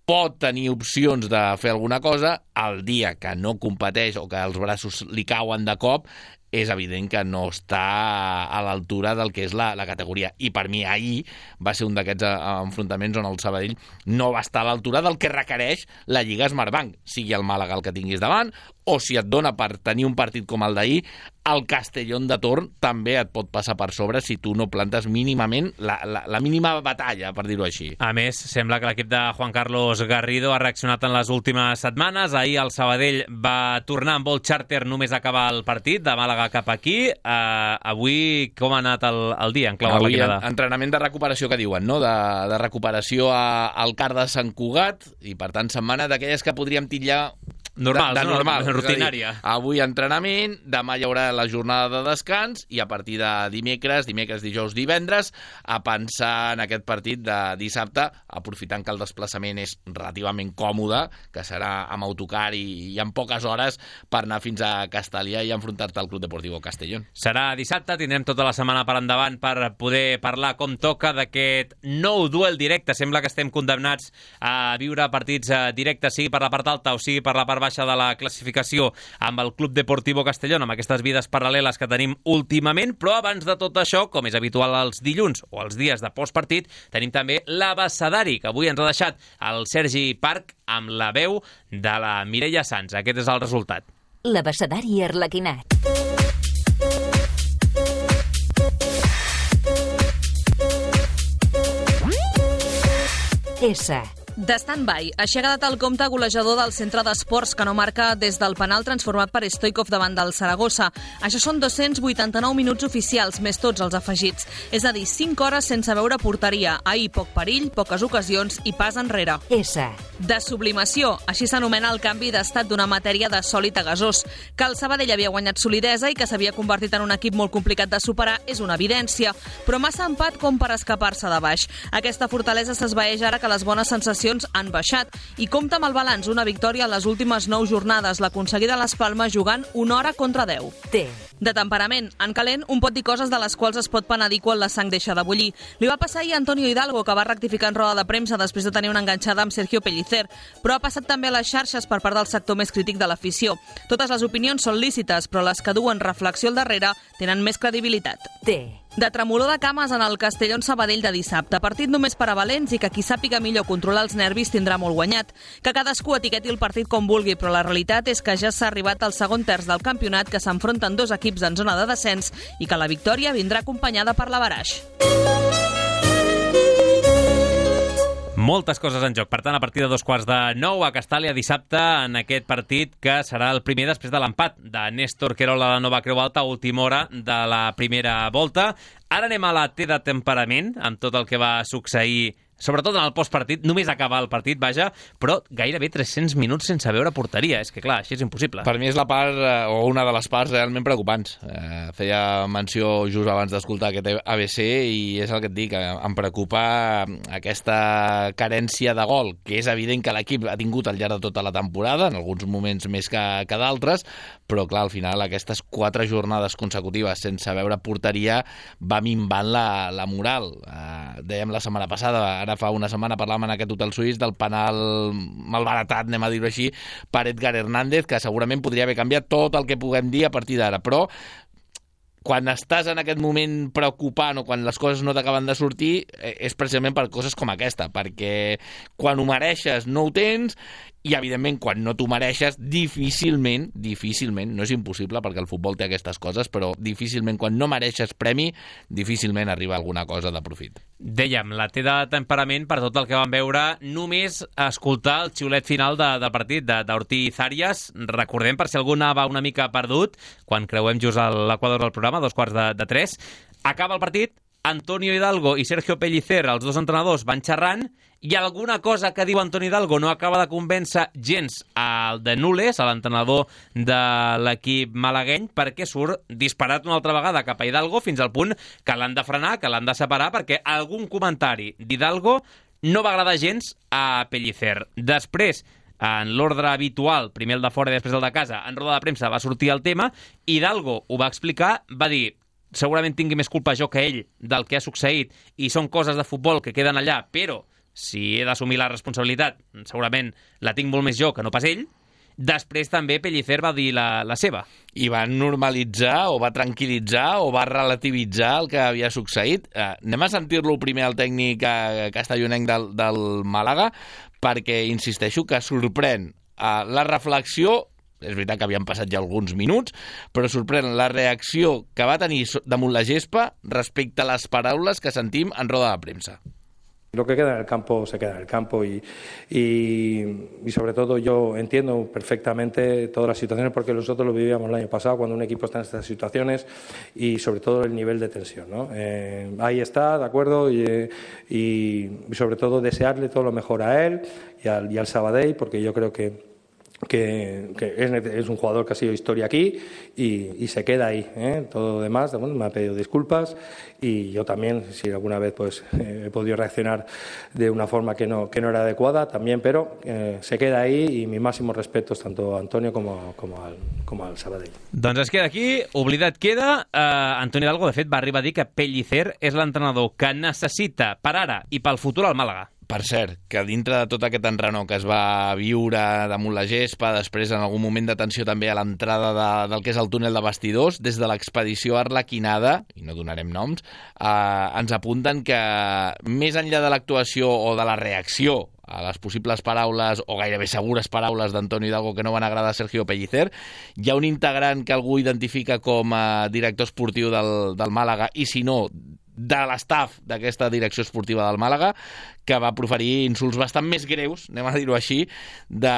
pot tenir opcions de fer alguna cosa, el dia que no competeix o que els braços li cauen de cop, és evident que no està a l'altura del que és la, la categoria. I per mi ahir va ser un d'aquests enfrontaments on el Sabadell no va estar a l'altura del que requereix la Lliga Smartbank, sigui el Màlaga el que tinguis davant, o si et dona per tenir un partit com el d'ahir, el Castellón de torn també et pot passar per sobre si tu no plantes mínimament la, la, la mínima batalla, per dir-ho així. A més, sembla que l'equip de Juan Carlos Garrido ha reaccionat en les últimes setmanes. Ahir el Sabadell va tornar amb vol xàrter només acabar el partit, de Màlaga cap aquí. Uh, avui com ha anat el, el dia en clau avui arlequinada? Entrenament de recuperació, que diuen, no? De, de recuperació a, al Car de Sant Cugat, i per tant setmana d'aquelles que podríem titllar Normals, de, de normal, no? Rutinària. Dir, avui entrenament, demà hi haurà la jornada de descans i a partir de dimecres, dimecres, dijous, divendres, a pensar en aquest partit de dissabte, aprofitant que el desplaçament és relativament còmode, que serà amb autocar i, i en poques hores per anar fins a Castellà i enfrontar-te al Club Deportivo Castellón. Serà dissabte, tindrem tota la setmana per endavant per poder parlar com toca d'aquest nou duel directe. Sembla que estem condemnats a viure partits directes, sigui per la part alta o sigui per la part baixa de la classificació amb el Club Deportivo Castellón, amb aquestes vides paral·leles que tenim últimament, però abans de tot això, com és habitual els dilluns o els dies de postpartit, tenim també l'abecedari, que avui ens ha deixat el Sergi Parc amb la veu de la Mireia Sanz. Aquest és el resultat. L'abecedari arlequinat. S. De stand-by, així ha quedat el compte golejador del centre d'esports que no marca des del penal transformat per Stoikov davant del Saragossa. Això són dos-cents vuitanta-nou minuts oficials, més tots els afegits. És a dir, cinc hores sense veure porteria. Ahir poc perill, poques ocasions i pas enrere. S. De sublimació, així s'anomena el canvi d'estat d'una matèria de sòlid a gasós. Que el Sabadell havia guanyat solidesa i que s'havia convertit en un equip molt complicat de superar és una evidència, però massa empat com per escapar-se de baix. Aquesta fortalesa s'esvaeix ara que les bones sensacions han baixat i compta amb el balanç, una victòria a les últimes nou jornades, l'aconseguida a les Palmes jugant una hora contra deu. T. De temperament, en calent, un pot dir coses de les quals es pot penedir quan la sang deixa de bullir. Li va passar ahir a Antonio Hidalgo, que va rectificar en roda de premsa després de tenir una enganxada amb Sergio Pellicer, però ha passat també a les xarxes per part del sector més crític de l'afició. Totes les opinions són lícites, però les que duen reflexió al darrere tenen més credibilitat. T. De tremolor de cames en el Castellón Sabadell de dissabte. Partit només per a valents i que qui sàpiga millor controlar els nervis tindrà molt guanyat. Que cadascú etiqueti el partit com vulgui, però la realitat és que ja s'ha arribat al segon terç del campionat, que s'enfronten dos equips en zona de descens i que la victòria vindrà acompanyada per l'avaraix. Moltes coses en joc. Per tant, a partir de dos quarts de nou a Castàlia dissabte en aquest partit que serà el primer després de l'empat de Néstor Querol a la Nova Creu Alta a última hora de la primera volta. Ara anem a la T de temperament, amb tot el que va succeir, sobretot en el postpartit, només acabar el partit, vaja, però gairebé tres-cents minuts sense veure porteria. És que, clar, així és impossible. Per mi és la part, o una de les parts realment preocupants. Eh, feia menció just abans d'escoltar aquest A B C i és el que et dic, em preocupa aquesta carència de gol, que és evident que l'equip ha tingut al llarg de tota la temporada, en alguns moments més que, que d'altres, però, clar, al final aquestes quatre jornades consecutives sense veure porteria va minvant la, la moral. Eh, dèiem la setmana passada, ara fa una setmana parlàvem en aquest hotel suís del penal malbaratat, anem a dir-ho així, per Edgar Hernández, que segurament podria haver canviat tot el que puguem dir a partir d'ara, però quan estàs en aquest moment preocupant o quan les coses no t'acaben de sortir és precisament per coses com aquesta, perquè quan ho mereixes no ho tens i, evidentment, quan no t'ho mereixes, difícilment, difícilment, no és impossible perquè el futbol té aquestes coses, però difícilment, quan no mereixes premi, difícilment arriba alguna cosa de profit. Dèiem, la té de temperament per tot el que vam veure, només escoltar el xiulet final de, del partit d'Ortiz Arias. Recordem, per si algú anava una mica perdut, quan creuem just a l'equador del programa, dos quarts de, de tres, acaba el partit, Antonio Hidalgo i Sergio Pellicer, els dos entrenadors, van xerrant, i alguna cosa que diu Antonio Hidalgo no acaba de convèncer gens al de Nules, a l'entrenador de l'equip malagueny, perquè surt disparat una altra vegada cap a Hidalgo fins al punt que l'han de frenar, que l'han de separar, perquè algun comentari d'Hidalgo no va agradar gens a Pellicer. Després, en l'ordre habitual, primer el de fora i després el de casa, en roda de premsa va sortir el tema, Hidalgo ho va explicar, va dir segurament tingui més culpa jo que ell del que ha succeït i són coses de futbol que queden allà, però si he d'assumir la responsabilitat, segurament la tinc molt més jo que no pas ell. Després també Pellicer va dir la, la seva. I va normalitzar o va tranquil·litzar o va relativitzar el que havia succeït. Eh, anem a sentir-lo primer al tècnic eh, castellonenc del, del Màlaga, perquè insisteixo que sorprèn eh, la reflexió. És veritat que havien passat ja alguns minuts, però sorprèn la reacció que va tenir damunt la gespa respecte a les paraules que sentim en roda de premsa. Lo que queda en el campo se queda en el campo y, y, y sobre todo yo entiendo perfectamente todas las situaciones porque nosotros lo vivíamos el año pasado cuando un equipo está en estas situaciones y sobre todo el nivel de tensión, ¿no? Eh, ahí está, de acuerdo, y, y, y sobre todo desearle todo lo mejor a él y al, y al Sabadell porque yo creo que que, que es, es un jugador que ha sido historia aquí y, y se queda ahí, ¿eh? Todo lo demás, bueno, me ha pedido disculpas y yo también, si alguna vez pues eh, he podido reaccionar de una forma que no, que no era adecuada, también, pero eh, se queda ahí y mis máximos respetos tanto a Antonio como, como, al, como al Sabadell. Doncs es queda aquí, oblidat queda. Uh, Antonio Hidalgo, de fet, va arribar a dir que Pellicer és l'entrenador que necessita per ara i pel futur al Màlaga. Per cert, que dintre de tot aquest enrenor que es va viure damunt la gespa, després en algun moment de tensió també a l'entrada de, del que és el túnel de vestidors, des de l'expedició Arlequinada, i no donarem noms, eh, ens apunten que més enllà de l'actuació o de la reacció a les possibles paraules, o gairebé segures paraules d'Antonio Hidalgo que no van agradar a Sergio Pellicer, hi ha un integrant que algú identifica com a director esportiu del, del Màlaga, i si no, de l'estaf d'aquesta direcció esportiva del Màlaga, que va proferir insults bastant més greus, anem a dir-ho així, de...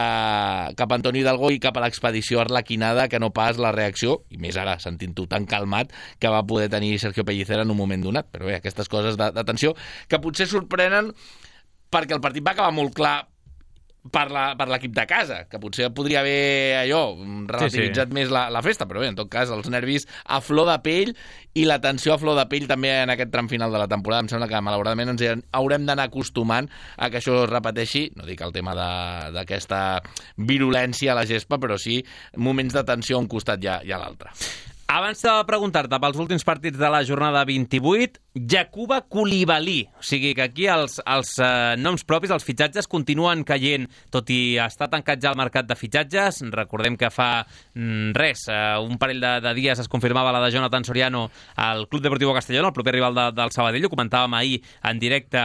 cap a Antonio Hidalgo i cap a l'expedició Arlequinada, que no pas la reacció, i més ara, sentint-ho tan calmat, que va poder tenir Sergio Pellicer en un moment donat. Però bé, aquestes coses de, de tensió que potser sorprenen perquè el partit va acabar molt clar per l'equip de casa, que potser podria haver allò relativitzat sí, sí. més la, la festa, però bé, en tot cas, els nervis a flor de pell i la tensió a flor de pell també en aquest tram final de la temporada. Em sembla que malauradament ens haurem d'anar acostumant a que això es repeteixi, no dic el tema d'aquesta virulència a la gespa, però sí moments de tensió a un costat i a, i a l'altre. Abans de preguntar-te pels últims partits de la jornada vint-i-vuit, Jakuba Koulibaly. O sigui que aquí els, els eh, noms propis, els fitxatges, continuen caient, tot i estar tancat ja el mercat de fitxatges. Recordem que fa mm, res, eh, un parell de, de dies es confirmava la de Jonathan Soriano al Club Deportivo Castellón, el proper rival de, del Sabadell. Ho comentàvem ahir en directe,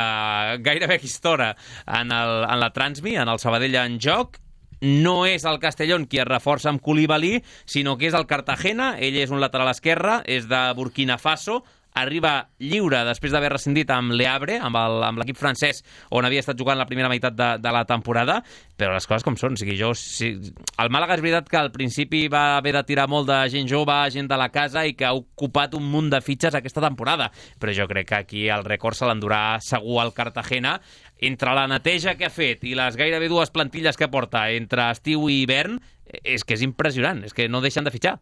gairebé a aquesta hora, en, el, en la Transmi, en el Sabadell en joc. No és el Castellón qui es reforça amb Koulibaly, sinó que és el Cartagena. Ell és un lateral esquerre, és de Burkina Faso, arriba lliure després d'haver rescindit amb Le Havre, amb l'equip francès, on havia estat jugant la primera meitat de, de la temporada, però les coses com són. O sigui, jo, si... El Màlaga és veritat que al principi va haver de tirar molt de gent jove, gent de la casa, i que ha ocupat un munt de fitxes aquesta temporada, però jo crec que aquí el rècord se l'endurà segur al Cartagena. Entre la neteja que ha fet i les gairebé dues plantilles que porta entre estiu i hivern, és que és impressionant, és que no deixen de fitxar.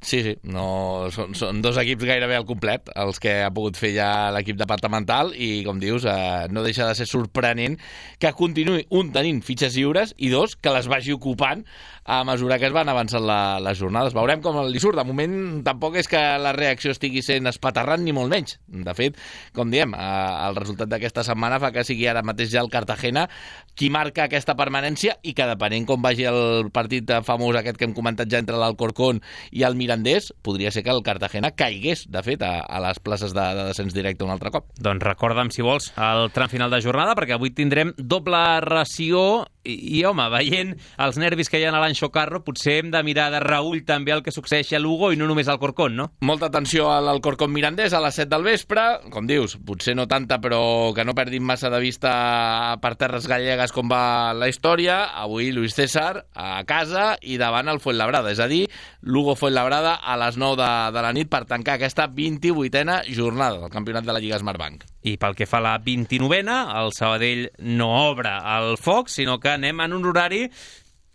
Sí, sí, no, són, són dos equips gairebé al complet, els que ha pogut fer ja l'equip departamental, i, com dius, eh, no deixa de ser sorprenent que continuï, un, tenint fitxes lliures, i dos, que les vagi ocupant a mesura que es van avançant la, les jornades. Veurem com li surt. De moment, tampoc és que la reacció estigui sent espaterrant, ni molt menys. De fet, com diem, eh, el resultat d'aquesta setmana fa que sigui ara mateix ja el Cartagena qui marca aquesta permanència, i que depenent com vagi el partit famós aquest que hem comentat ja entre l'Alcorcón i el Mirandés, podria ser que el Cartagena caigués, de fet, a, a les places de, de descens directe un altre cop. Doncs recorda'm, si vols, el tram final de jornada, perquè avui tindrem doble ració I, i home, veient els nervis que hi ha a l'Anxo Carro, potser hem de mirar de reull també el que succeeix a Lugo i no només al Corcón, no? Molta atenció al Alcorcón Mirandés a les set del vespre. Com dius, potser no tanta, però que no perdin massa de vista per terres gallegues com va la història. Avui Luis César a casa i davant el Fuenlabrada, és a dir, Lugo-Fuenlabrada a les nou de, de la nit per tancar aquesta vint-i-vuitena jornada del campionat de la Lliga Smartbank. I pel que fa a la vint-i-novena, el Sabadell no obre el foc, sinó que anem en un horari...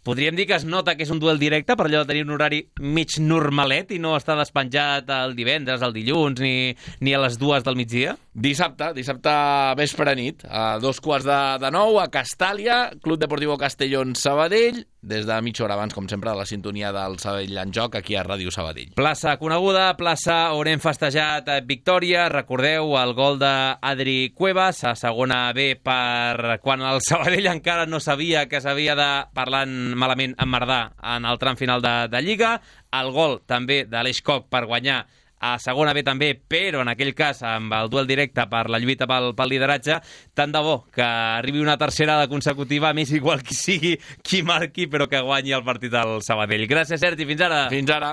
Podríem dir que es nota que és un duel directe per allò de tenir un horari mig normalet i no estar despenjat el divendres, el dilluns, ni, ni a les dues del migdia? Dissabte, dissabte vespre nit, a dos quarts de, de nou, a Castàlia, Club Deportivo Castellón Sabadell, des de mitja hora abans, com sempre, de la sintonia del Sabadell en joc, aquí a Ràdio Sabadell. Plaça coneguda, plaça on hem festejat victòria. Recordeu el gol d'Adri Cuevas, a segona B per quan el Sabadell encara no sabia que s'havia de, parlant malament, emmerdar en el tram final de, de Lliga. El gol també de l'Eix Coc per guanyar a segona B també, però en aquell cas amb el duel directe per la lluita pel, pel lideratge. Tant de bo que arribi una tercera de consecutiva, més igual qui sigui, qui marqui, però que guanyi el partit al Sabadell. Gràcies, Sergi, fins ara. Fins ara.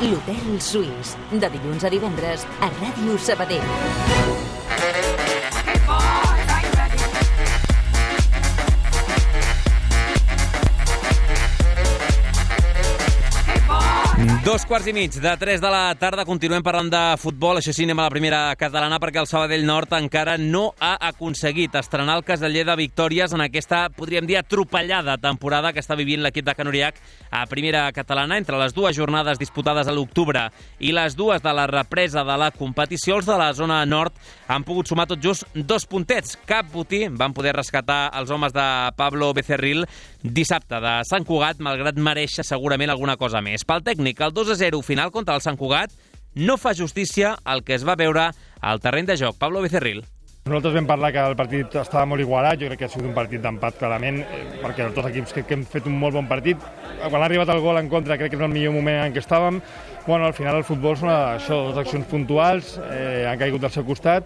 L'Hotel Suís, de dilluns a divendres a Ràdio Sabadell. Dos quarts i mig de tres de la tarda, continuem parlant de futbol. Això sí, anem a la primera catalana perquè el Sabadell Nord encara no ha aconseguit estrenar el caseller de victòries en aquesta, podríem dir, atropellada temporada que està vivint l'equip de Can Uriach a primera catalana. Entre les dues jornades disputades a l'octubre i les dues de la represa de la competició, els de la zona nord han pogut sumar tot just dos puntets. Cap botí van poder rescatar els homes de Pablo Becerril dissabte de Sant Cugat, malgrat mereixer segurament alguna cosa més. Pel tècnic, el dos a zero final contra el Sant Cugat no fa justícia al que es va veure al terreny de joc. Pablo Becerril. Nosaltres vam parlar que el partit estava molt igualat, jo crec que ha sigut un partit d'empat clarament, perquè els dos equips crec que hem fet un molt bon partit. Quan ha arribat el gol en contra crec que és el millor moment en què estàvem. Bueno, al final el futbol són això, dues accions puntuals, eh, han caigut al seu costat,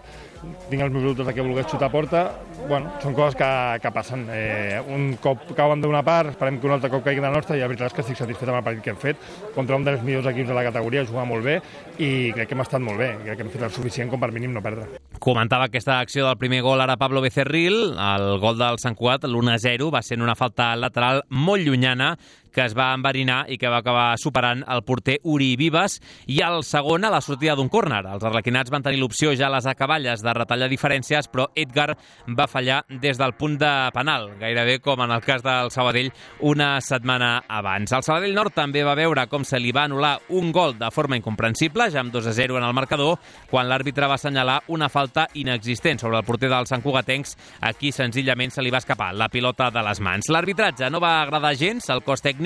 tinc els meus dubtes de que volgués xutar a porta. Bueno, són coses que, que passen. Eh, un cop cauen d'una part, esperem que un altre cop caigui de la nostra, i la veritat és que estic satisfet amb el partit que hem fet contra un dels millors equips de la categoria, jugar molt bé, i crec que hem estat molt bé, crec que hem fet el suficient com per mínim no perdre. Comentava aquesta acció del primer gol ara Pablo Becerril, el gol del Sant Cugat, l'u a zero, va ser en una falta lateral molt llunyana que es va enverinar i que va acabar superant el porter Uri Vives, i el segon a la sortida d'un córner. Els arlequinats van tenir l'opció ja a les acaballes de retallar diferències, però Edgar va fallar des del punt de penal, gairebé com en el cas del Sabadell una setmana abans. El Sabadell Nord també va veure com se li va anul·lar un gol de forma incomprensible, ja amb dos a zero en el marcador, quan l'àrbitre va assenyalar una falta inexistent sobre el porter dels santcugatencs. Aquí senzillament se li va escapar la pilota de les mans. L'arbitratge no va agradar gens al cos tècnic,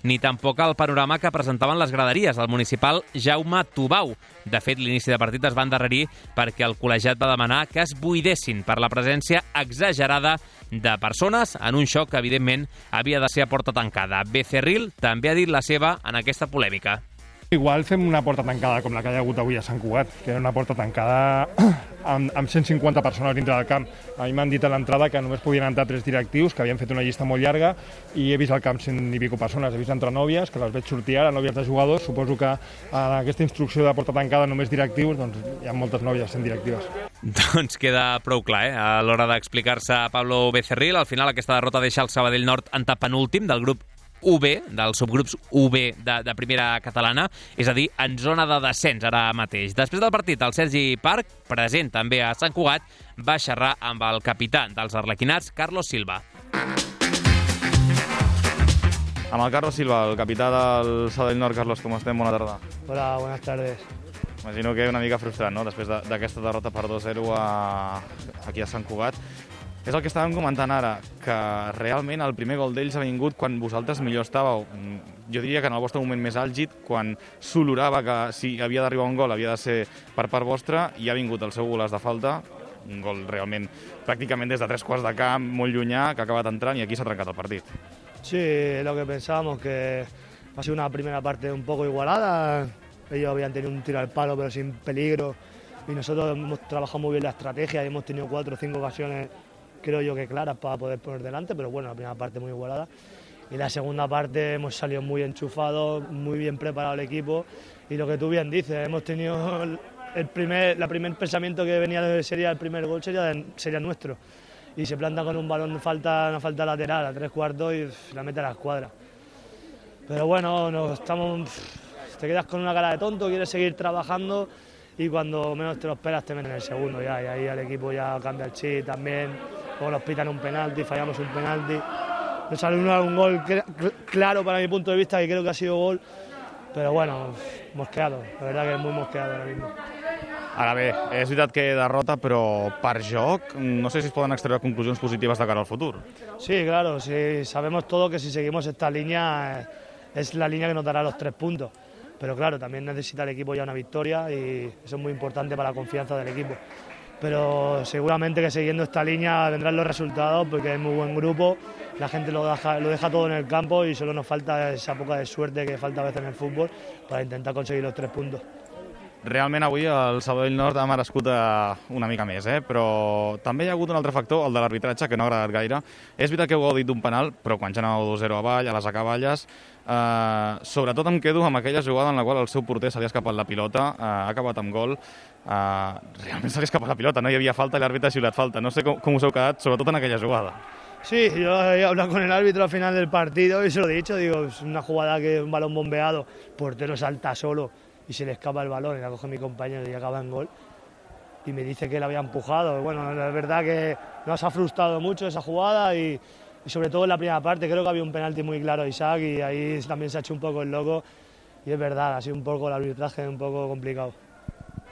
ni tampoc el panorama que presentaven les graderies al municipal Jaume Tubau. De fet, l'inici de partit es va endarrerir perquè el col·legiat va demanar que es buidessin per la presència exagerada de persones en un xoc que, evidentment, havia de ser a porta tancada. Becerril també ha dit la seva en aquesta polèmica. Igual fem una porta tancada com la que hi ha hagut avui a Sant Cugat, que era una porta tancada amb, amb cent cinquanta persones dintre del camp. A mi m'han dit a l'entrada que només podien entrar tres directius, que havien fet una llista molt llarga, i he vist al camp cent i pico persones. He vist entrar nòvies, que les veig sortir ara, nòvies de jugadors. Suposo que en aquesta instrucció de porta tancada només directius, doncs hi ha moltes nòvies sent directives. Doncs queda prou clar, eh? A l'hora d'explicar-se a Pablo Becerril. Al final aquesta derrota deixa el Sabadell Nord en penúltim del grup U B, dels subgrups U B de, de primera catalana, és a dir, en zona de descens ara mateix. Després del partit, el Sergi Parc, present també a Sant Cugat, va xerrar amb el capità dels arlequinats, Carlos Silva. Amb el Carlos Silva, el capità del Sabadell Nord. Carlos, com estem? Bona tarda. Hola, buenas tardes. Imagino que una mica frustrant, no?, després d'aquesta de, derrota per dos a zero a, aquí a Sant Cugat. És el que estàvem comentant ara, que realment el primer gol d'ells ha vingut quan vosaltres millor estàveu. Jo diria que en el vostre moment més àlgid, quan s'olorava que si havia d'arribar un gol havia de ser per part vostra, i ha vingut el seu golaç de falta, un gol realment pràcticament des de tres quarts de camp, molt llunyà, que ha acabat entrant, i aquí s'ha trencat el partit. Sí, lo que pensábamos, que ha sido una primera parte un poco igualada. Ellos habían tenido un tiro al palo, pero sin peligro, y nosotros hemos trabajado muy bien la estrategia y hemos tenido cuatro o cinco ocasiones, creo yo que claras para poder poner delante, pero bueno, la primera parte muy igualada. Y la segunda parte hemos salido muy enchufados, muy bien preparado el equipo y lo que tú bien dices, hemos tenido el primer, la primer pensamiento que venía de sería el primer gol sería, sería nuestro y se planta con un balón de falta, una falta lateral a tres cuartos y pff, la mete a la escuadra. Pero bueno, nos estamos, pff, te quedas con una cara de tonto, quieres seguir trabajando y cuando menos te lo esperas te meten el segundo ya y ahí el equipo ya cambia el chip también, luego nos pitan un penalti, fallamos un penalti. Nos sale un, un gol claro para mi punto de vista, que creo que ha sido gol, però bueno, mosqueado, la verdad que és muy mosqueado ahora mismo. Ara bé, és veritat que derrota, però per joc no sé si es poden extreure conclusions positives de cara al futur. Sí, claro, sí, sabemos todo que si seguimos esta línea es la línea que nos dará los tres puntos, pero claro, también necesita el equipo ya una victoria y eso es muy importante para la confianza del equipo. Pero seguramente que siguiendo esta línea vendrán los resultados porque es muy buen grupo, la gente lo deja, lo deja todo en el campo y solo nos falta esa poca de suerte que falta a veces en el fútbol para intentar conseguir los tres puntos. Realment avui el Sabadell Nord ha merescut una mica més, eh? Però també hi ha hagut un altre factor, el de l'arbitratge, que no ha agradat gaire. És veritat que heu gaudit d'un penal, però quan ja anàveu dos zero avall, a les acaballes, eh, sobretot em quedo amb aquella jugada en la qual el seu porter se li ha escapat la pilota, eh, ha acabat amb gol, eh, realment se li ha escapat la pilota, no hi havia falta i l'àrbitre ha xiulat falta. No sé com, com us heu quedat, sobretot en aquella jugada. Sí, yo he hablado con el árbitro al final del partido y se lo he dicho, digo, es una jugada que es un balón bombeado, portero salta solo y se le escapa el balón y la coge mi compañero y acaba en gol y me dice que la había empujado. Bueno, la verdad que nos ha frustrado mucho esa jugada y, y sobre todo en la primera parte creo que había un penalti muy claro a Isaac y ahí también se ha hecho un poco el loco y es verdad, ha sido un poco el arbitraje un poco complicado.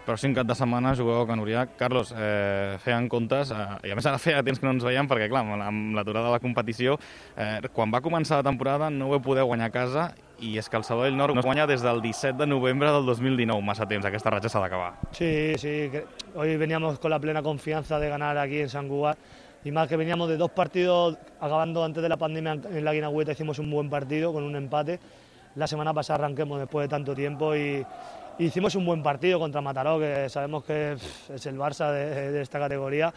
Pròxim cap de setmana jugueu a Can Uriac. Carlos, eh, feien comptes, eh, i a més ara feia temps que no ens veiem perquè, clar, amb l'aturada de la competició, eh, quan va començar la temporada no vau poder guanyar a casa i és que el Sabadell Nord no guanya des del disset de novembre del dos mil dinou, massa temps, aquesta ratxa s'ha d'acabar. Sí, sí, que hoy veníamos con la plena confianza de ganar aquí en Sant Cugat y más que veníamos de dos partidos, acabando antes de la pandemia en la Guinagüeta hicimos un buen partido con un empate, la semana pasada arranquemos después de tanto tiempo y hicimos un buen partido contra Mataró, que sabemos que es el Barça de, de esta categoría,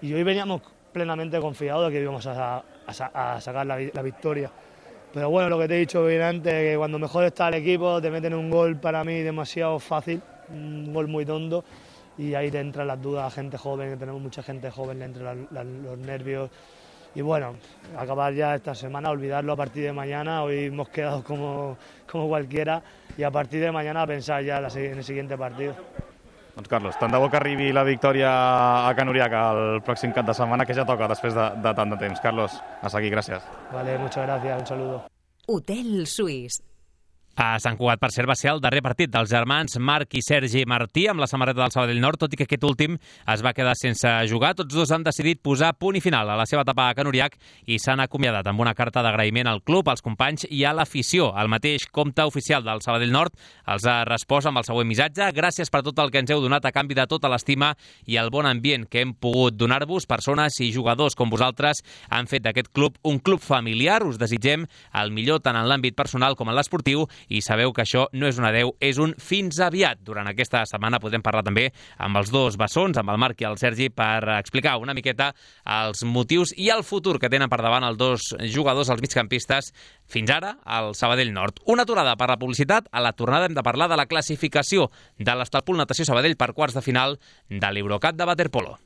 y hoy veníamos plenamente confiados de que íbamos a, a, a sacar la, la victoria. Pero bueno, lo que te he dicho bien antes, que cuando mejor está el equipo te meten un gol para mí demasiado fácil, un gol muy tonto, y ahí te entran las dudas a gente joven, que tenemos mucha gente joven, le entran la, la, los nervios. Y bueno, acabar ya esta semana, olvidarlo a partir de mañana, hoy hemos quedado como, como cualquiera y a partir de mañana pensar ya en el siguiente partido. Doncs Carlos, tant de bo que arribi la victòria a Can Uriac el pròxim cap de setmana, que ja toca després de, de tant de temps. Carlos, a seguir, gràcies. Vale, muchas gracias, un saludo. Hotel Suís. A Sant Cugat, per cert, va ser el darrer partit dels germans Marc i Sergi Martí amb la samarreta del Sabadell Nord, tot i que aquest últim es va quedar sense jugar. Tots dos han decidit posar punt i final a la seva etapa a Can Uriac i s'han acomiadat amb una carta d'agraïment al club, als companys i a l'afició. El mateix compte oficial del Sabadell Nord els ha respost amb el següent missatge: gràcies per tot el que ens heu donat a canvi de tota l'estima i el bon ambient que hem pogut donar-vos. Persones i jugadors com vosaltres han fet d'aquest club un club familiar. Us desitgem el millor tant en l'àmbit personal com en l'esportiu i sabeu que això no és un adeu, és un fins aviat. Durant aquesta setmana podrem parlar també amb els dos bessons, amb el Marc i el Sergi, per explicar una miqueta els motius i el futur que tenen per davant els dos jugadors, els migcampistes, fins ara al Sabadell Nord. Una aturada per la publicitat. A la tornada hem de parlar de la classificació de l'Estalpul Natació Sabadell per quarts de final de l'Eurocup de waterpolo.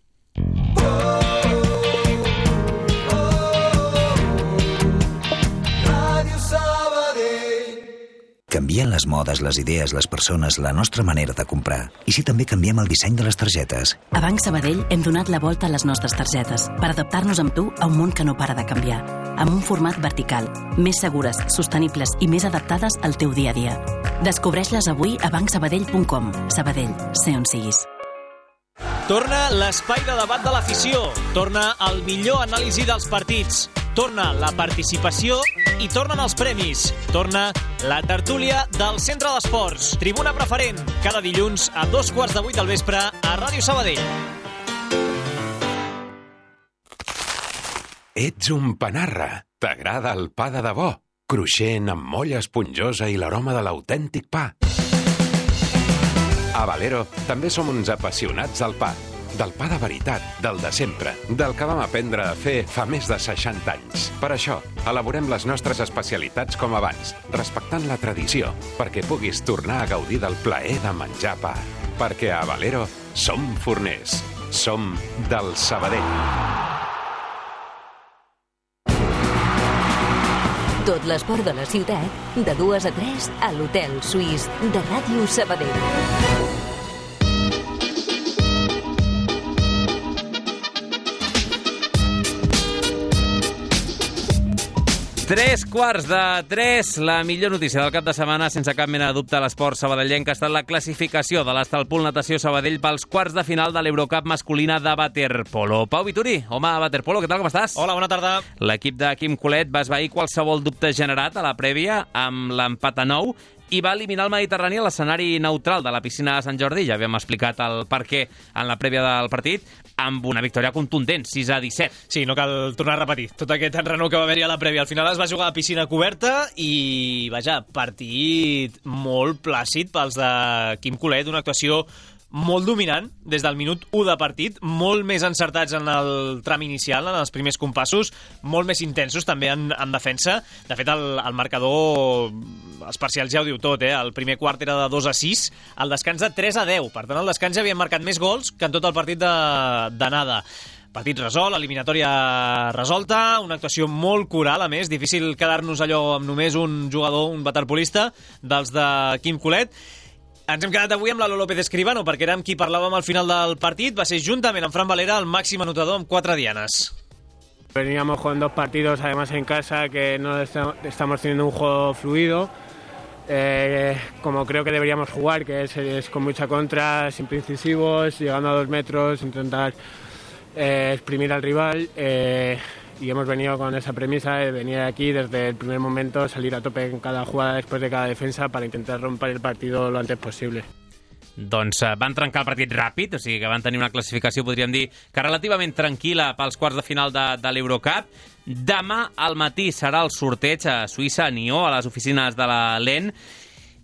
Canvien les modes, les idees, les persones, la nostra manera de comprar. I si també canviem el disseny de les targetes? A Banc Sabadell hem donat la volta a les nostres targetes per adaptar-nos amb tu a un món que no para de canviar. Amb un format vertical, més segures, sostenibles i més adaptades al teu dia a dia. Descobreix-les avui a banc sabadell punt com. Sabadell, sé on siguis. Torna l'espai de debat de l'afició. Torna el millor anàlisi dels partits. Torna la participació i tornen els premis. Torna la tertúlia del Centre d'Esports. Tribuna preferent, cada dilluns a dos quarts de vuit del vespre a Ràdio Sabadell. Ets un panarra. T'agrada el pa de debò. Cruixent, amb molla esponjosa i l'aroma de l'autèntic pa. A Valero també som uns apassionats del pa. Del pa de veritat, del de sempre, del que vam aprendre a fer fa més de seixanta anys. Per això, elaborem les nostres especialitats com abans, respectant la tradició, perquè puguis tornar a gaudir del plaer de menjar pa. Perquè a Valero som forners. Som del Sabadell. Tot l'esport de la ciutat, de dues a tres, a l'Hotel Suís de Ràdio Sabadell. Tres quarts de tres, la millor notícia del cap de setmana, sense cap mena de dubte, a l'esport sabadellenc, ha estat la classificació de l'Estalpul Natació Sabadell pels quarts de final de l'Eurocup masculina de waterpolo. Pau Vituri, home de waterpolo, què tal, com estàs? Hola, bona tarda. L'equip de Quim Colet va esvair qualsevol dubte generat a la prèvia amb l'empat a nou i va eliminar el Mediterrani a l'escenari neutral de la piscina de Sant Jordi. Ja havíem explicat el per què en la prèvia del partit, amb una victòria contundent, sis a disset. Sí, no cal tornar a repetir tot aquest enrenou que va haver-hi a la prèvia. Al final es va jugar a piscina coberta i, vaja, partit molt plàcid pels de Quim Colet, una actuació molt dominant des del minut u de partit, molt més encertats en el tram inicial, en els primers compassos, molt més intensos també en, en defensa. De fet, el, el marcador, els parcials ja ho diu tot, eh? El primer quart era de dos a sis, el descans de tres a deu. Per tant, el descans ja havien marcat més gols que en tot el partit d'anada. Partit resolt, eliminatòria resolta, una actuació molt coral, a més, difícil quedar-nos allò amb només un jugador, un waterpolista, dels de Quim Colet. Ens hem quedat avui amb la Lolo López Escribano, perquè era amb qui parlàvem al final del partit. Va ser juntament amb Fran Valera el màxim anotador amb quatre dianes. Veníamos con dos partidos además en casa que no estamos teniendo un juego fluido, eh, como creo que deberíamos jugar, que es, es con mucha contra, siempre incisivos, llegando a dos metros, intentar eh, exprimir al rival. Eh, y hemos venido con esa premisa de venir aquí desde el primer momento, salir a tope en cada jugada después de cada defensa para intentar romper el partido lo antes posible. Doncs uh, van trencar el partit ràpid, o sigui que van tenir una classificació, podríem dir, que relativament tranquil·la pels quarts de final de, de l'Eurocup. Demà al matí serà el sorteig a Suïssa, a Nió, a les oficines de la L E N.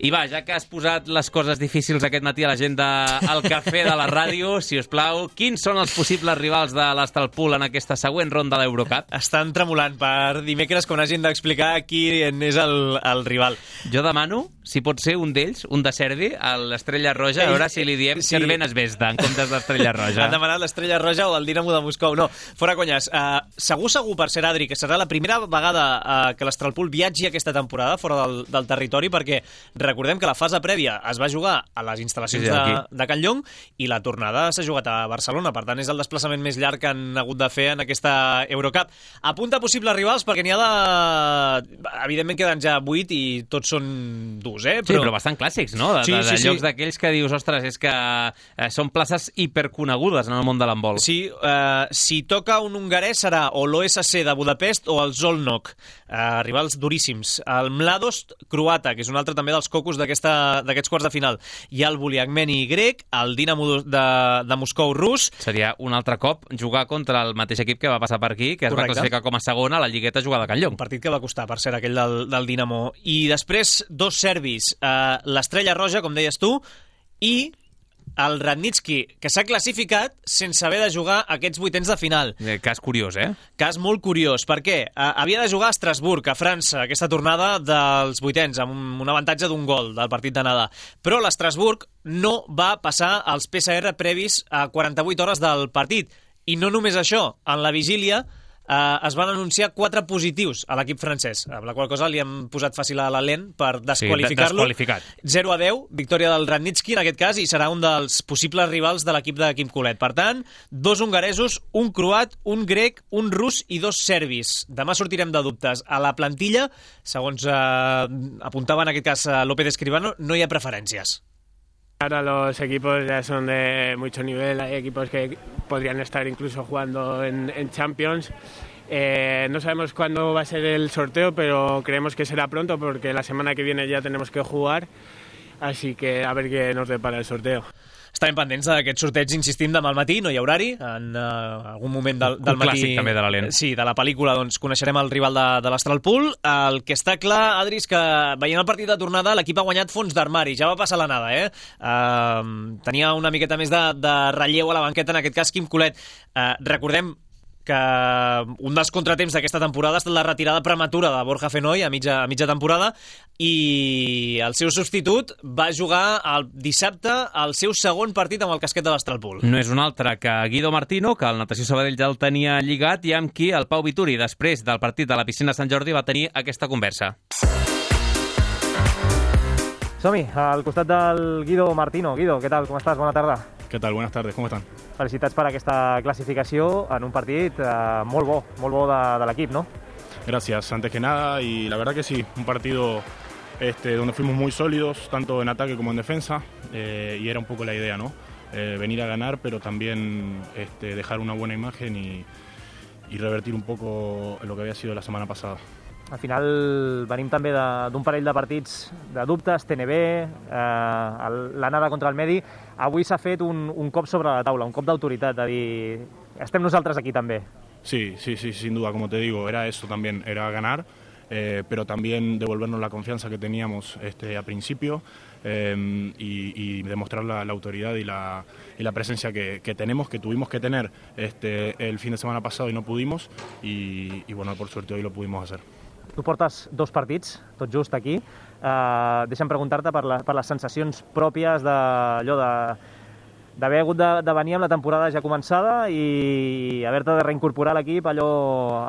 I va, ja que has posat les coses difícils aquest matí a la gent del cafè de la ràdio, si us plau, quins són els possibles rivals de l'Estalpul en aquesta següent ronda de l'Eurocup? Estan tremolant per dimecres quan hagin d'explicar qui és el, el rival. Jo demano, si pot ser un d'ells, un de Servi, l'Estrella Roja, a veure si li diem sí. Cervena Zvezda en comptes d'Estrella Roja. Han demanat l'Estrella Roja o el Dinamo de Moscou. No, fora conyes. Uh, segur, segur, per ser Adri, que serà la primera vegada uh, que l'Estalpul viatgi aquesta temporada fora del, del territori, perquè recordem que la fase prèvia es va jugar a les instal·lacions sí, de, de Can Llong i la tornada s'ha jugat a Barcelona. Per tant, és el desplaçament més llarg que han hagut de fer en aquesta Eurocup. Apunta possibles rivals perquè n'hi ha de... Evidentment queden ja vuit i tots són durs, eh? Però... Sí, però bastant clàssics, no? De, sí, de, de sí, llocs sí. d'aquells que dius, ostres, és que eh, són places hiperconegudes en el món de l'handbol. Sí, eh, si toca un hongarès serà o l'O S C de Budapest o el Zolnok, eh, rivals duríssims. El Mladost croata, que és un altre també dels cocos d'aquesta d'aquests quarts de final. Hi ha el Buliagmeni grec, el Dinamo de, de Moscou rus. Seria un altre cop jugar contra el mateix equip que va passar per aquí, que es Correcte. va classificar com a segona a la lligueta jugada a Can Llong. Un partit que va costar, per ser aquell del, del Dinamo. I després, dos serbis, eh, l'Estrella Roja, com deies tu, i el Radnitsky, que s'ha classificat sense haver de jugar aquests vuitens de final. Eh, cas curiós, eh? Cas molt curiós. Per què? Eh, havia de jugar a Estrasburg, a França, aquesta tornada dels vuitens, amb un, un avantatge d'un gol del partit d'anada. Però l'Estrasburg no va passar els P C R previs a quaranta-vuit hores del partit. I no només això, en la vigília eh, es van anunciar quatre positius a l'equip francès, amb la qual cosa li han posat fàcil a la L E N per desqualificar-lo. Sí, zero a deu, victòria del Radnitsky en aquest cas, i serà un dels possibles rivals de l'equip de Quim Colet. Per tant, dos hongaresos, un croat, un grec, un rus i dos serbis. Demà sortirem de dubtes. A la plantilla, segons eh, apuntava en aquest cas López Escribano, no hi ha preferències. Ahora los equipos ya son de mucho nivel, hay equipos que podrían estar incluso jugando en, en Champions. Eh, no sabemos cuándo va a ser el sorteo, pero creemos que será pronto porque la semana que viene ya tenemos que jugar, así que a ver qué nos depara el sorteo. Estarem pendents d'aquest sorteig, insistim, demà al matí, no hi ha horari, en uh, algun moment del, del un matí... clàssic també de l'Alent. Sí, de la pel·lícula, doncs coneixerem el rival de, de l'Astralpool. El que està clar, Adri, és que veient el partit de tornada l'equip ha guanyat fons d'armari, ja va passar l'anada, eh? Uh, tenia una miqueta més de, de relleu a la banqueta, en aquest cas Quim Colet. Uh, recordem que un dels contratemps d'aquesta temporada ha estat la retirada prematura de Borja Fenoy a mitja, a mitja temporada, i el seu substitut va jugar el dissabte el seu segon partit amb el casquet de l'Astralpool. No és un altre que Guido Martino, que el Natació Sabadell ja el tenia lligat, i amb qui el Pau Vituri, després del partit de la piscina Sant Jordi, va tenir aquesta conversa. Som-hi, al costat del Guido Martino. Guido, què tal? Com estàs? Bona tarda. ¿Qué tal? Buenas tardes, ¿cómo están? Felicitats per aquesta clasificació en un partit eh, molt bo, molt bo de, de l'equip, ¿no? Gracias, antes que nada, y la verdad que sí, un partido este, donde fuimos muy sólidos, tanto en ataque como en defensa, eh, y era un poco la idea, ¿no? Eh, venir a ganar, pero también este, dejar una buena imagen y, y revertir un poco lo que había sido la semana pasada. Al final venim també d'un parell de partits de dubtes, T N B, eh, l'anada contra el Medi. Avui s'ha fet un, un cop sobre la taula, un cop d'autoritat, de dir, estem nosaltres aquí també. Sí, sí, sí, sin duda, como te digo, era eso también, era ganar, eh, pero también devolvernos la confianza que teníamos este, a principio eh, y, y demostrar la, la autoridad y la, y la presencia que, que tenemos, que tuvimos que tener este, el fin de semana pasado y no pudimos, y, y bueno, por suerte hoy lo pudimos hacer. Tu portes dos partits, tot just aquí. Uh, deixa'm preguntar-te per, la, per les sensacions pròpies d'allò de d'haver hagut de, de venir amb la temporada ja començada i haver-te de reincorporar a l'equip allò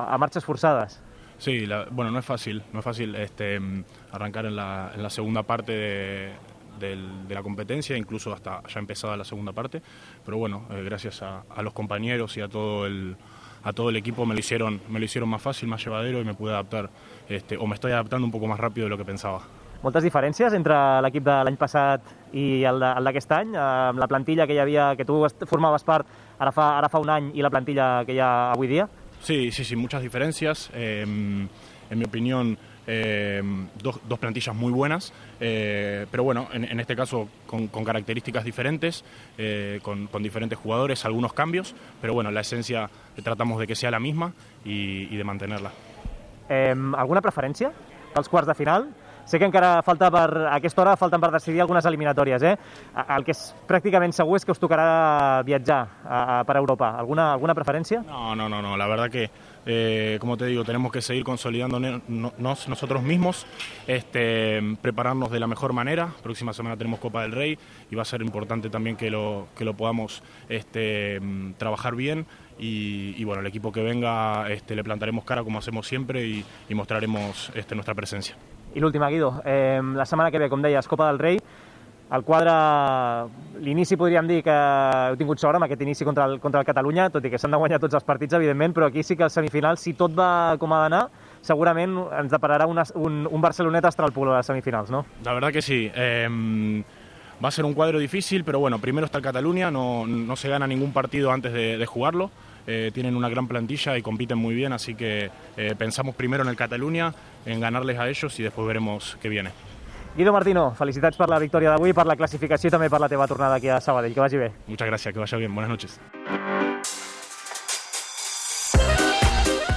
a marxes forçades. Sí, la, bueno, no es fácil, no es fácil este, arrancar en la, en la segunda parte de, de, de la competencia, incluso hasta ya empezada la segunda parte, pero bueno, eh, gracias a, a los compañeros y a todo el a todo el equipo me lo hicieron me lo hicieron más fácil, más llevadero, y me pude adaptar, este, o me estoy adaptando un poco más rápido de lo que pensaba. Moltes diferències entre l'equip de l'any passat i el d'aquest any, amb la plantilla que hi havia, que tu formaves part ara fa, ara fa un any, i la plantilla que hi ha avui dia? Sí, sí, sí, muchas diferencias. Eh, en mi opinión, eh, dos, dos plantillas muy buenas, eh, pero bueno, en, en este caso con, con características diferentes, eh, con, con diferentes jugadores, algunos cambios, pero bueno, la esencia tratamos de que sea la misma y, y de mantenerla. Eh, alguna preferència als quarts de final? Sé que encara falta per, a aquesta hora falten per decidir algunes eliminatòries, eh? El que és pràcticament segur és que us tocarà viatjar a, a, per Europa. Alguna, alguna preferència? No, no, no, no. La verdad que, eh, como te digo, tenemos que seguir consolidándonos nosotros mismos, este, prepararnos de la mejor manera. Próxima semana tenemos Copa del Rey y va a ser importante también que lo, que lo podamos este, trabajar bien. Y, y bueno, el equipo que venga este, le plantaremos cara como hacemos siempre y, y mostraremos este, nuestra presencia. I l'última, Guido, eh, la setmana que ve, com deies, Copa del Rei, el quadre, l'inici podríem dir que heu tingut sort amb aquest inici contra el, contra el Catalunya, tot i que s'han de guanyar tots els partits, evidentment, però aquí sí que al semifinal, si tot va com ha d'anar, segurament ens depararà una, un, un Barcelonet-Astralpool a les semifinals, ¿no? La verdad que sí. Eh, va a ser un cuadro difícil, pero bueno, primero está el Cataluña, no, no se gana ningún partido antes de, de jugarlo. Eh, tienen una gran plantilla y compiten muy bien, así que eh, pensamos primero en el Cataluña, en ganarles a ellos y después veremos qué viene. Guido Martino, felicitats per la victòria d'avui, per la classificació i també per la teva tornada aquí a Sabadell. Que vagi bé. Muchas gracias, que vaya bien. Buenas noches.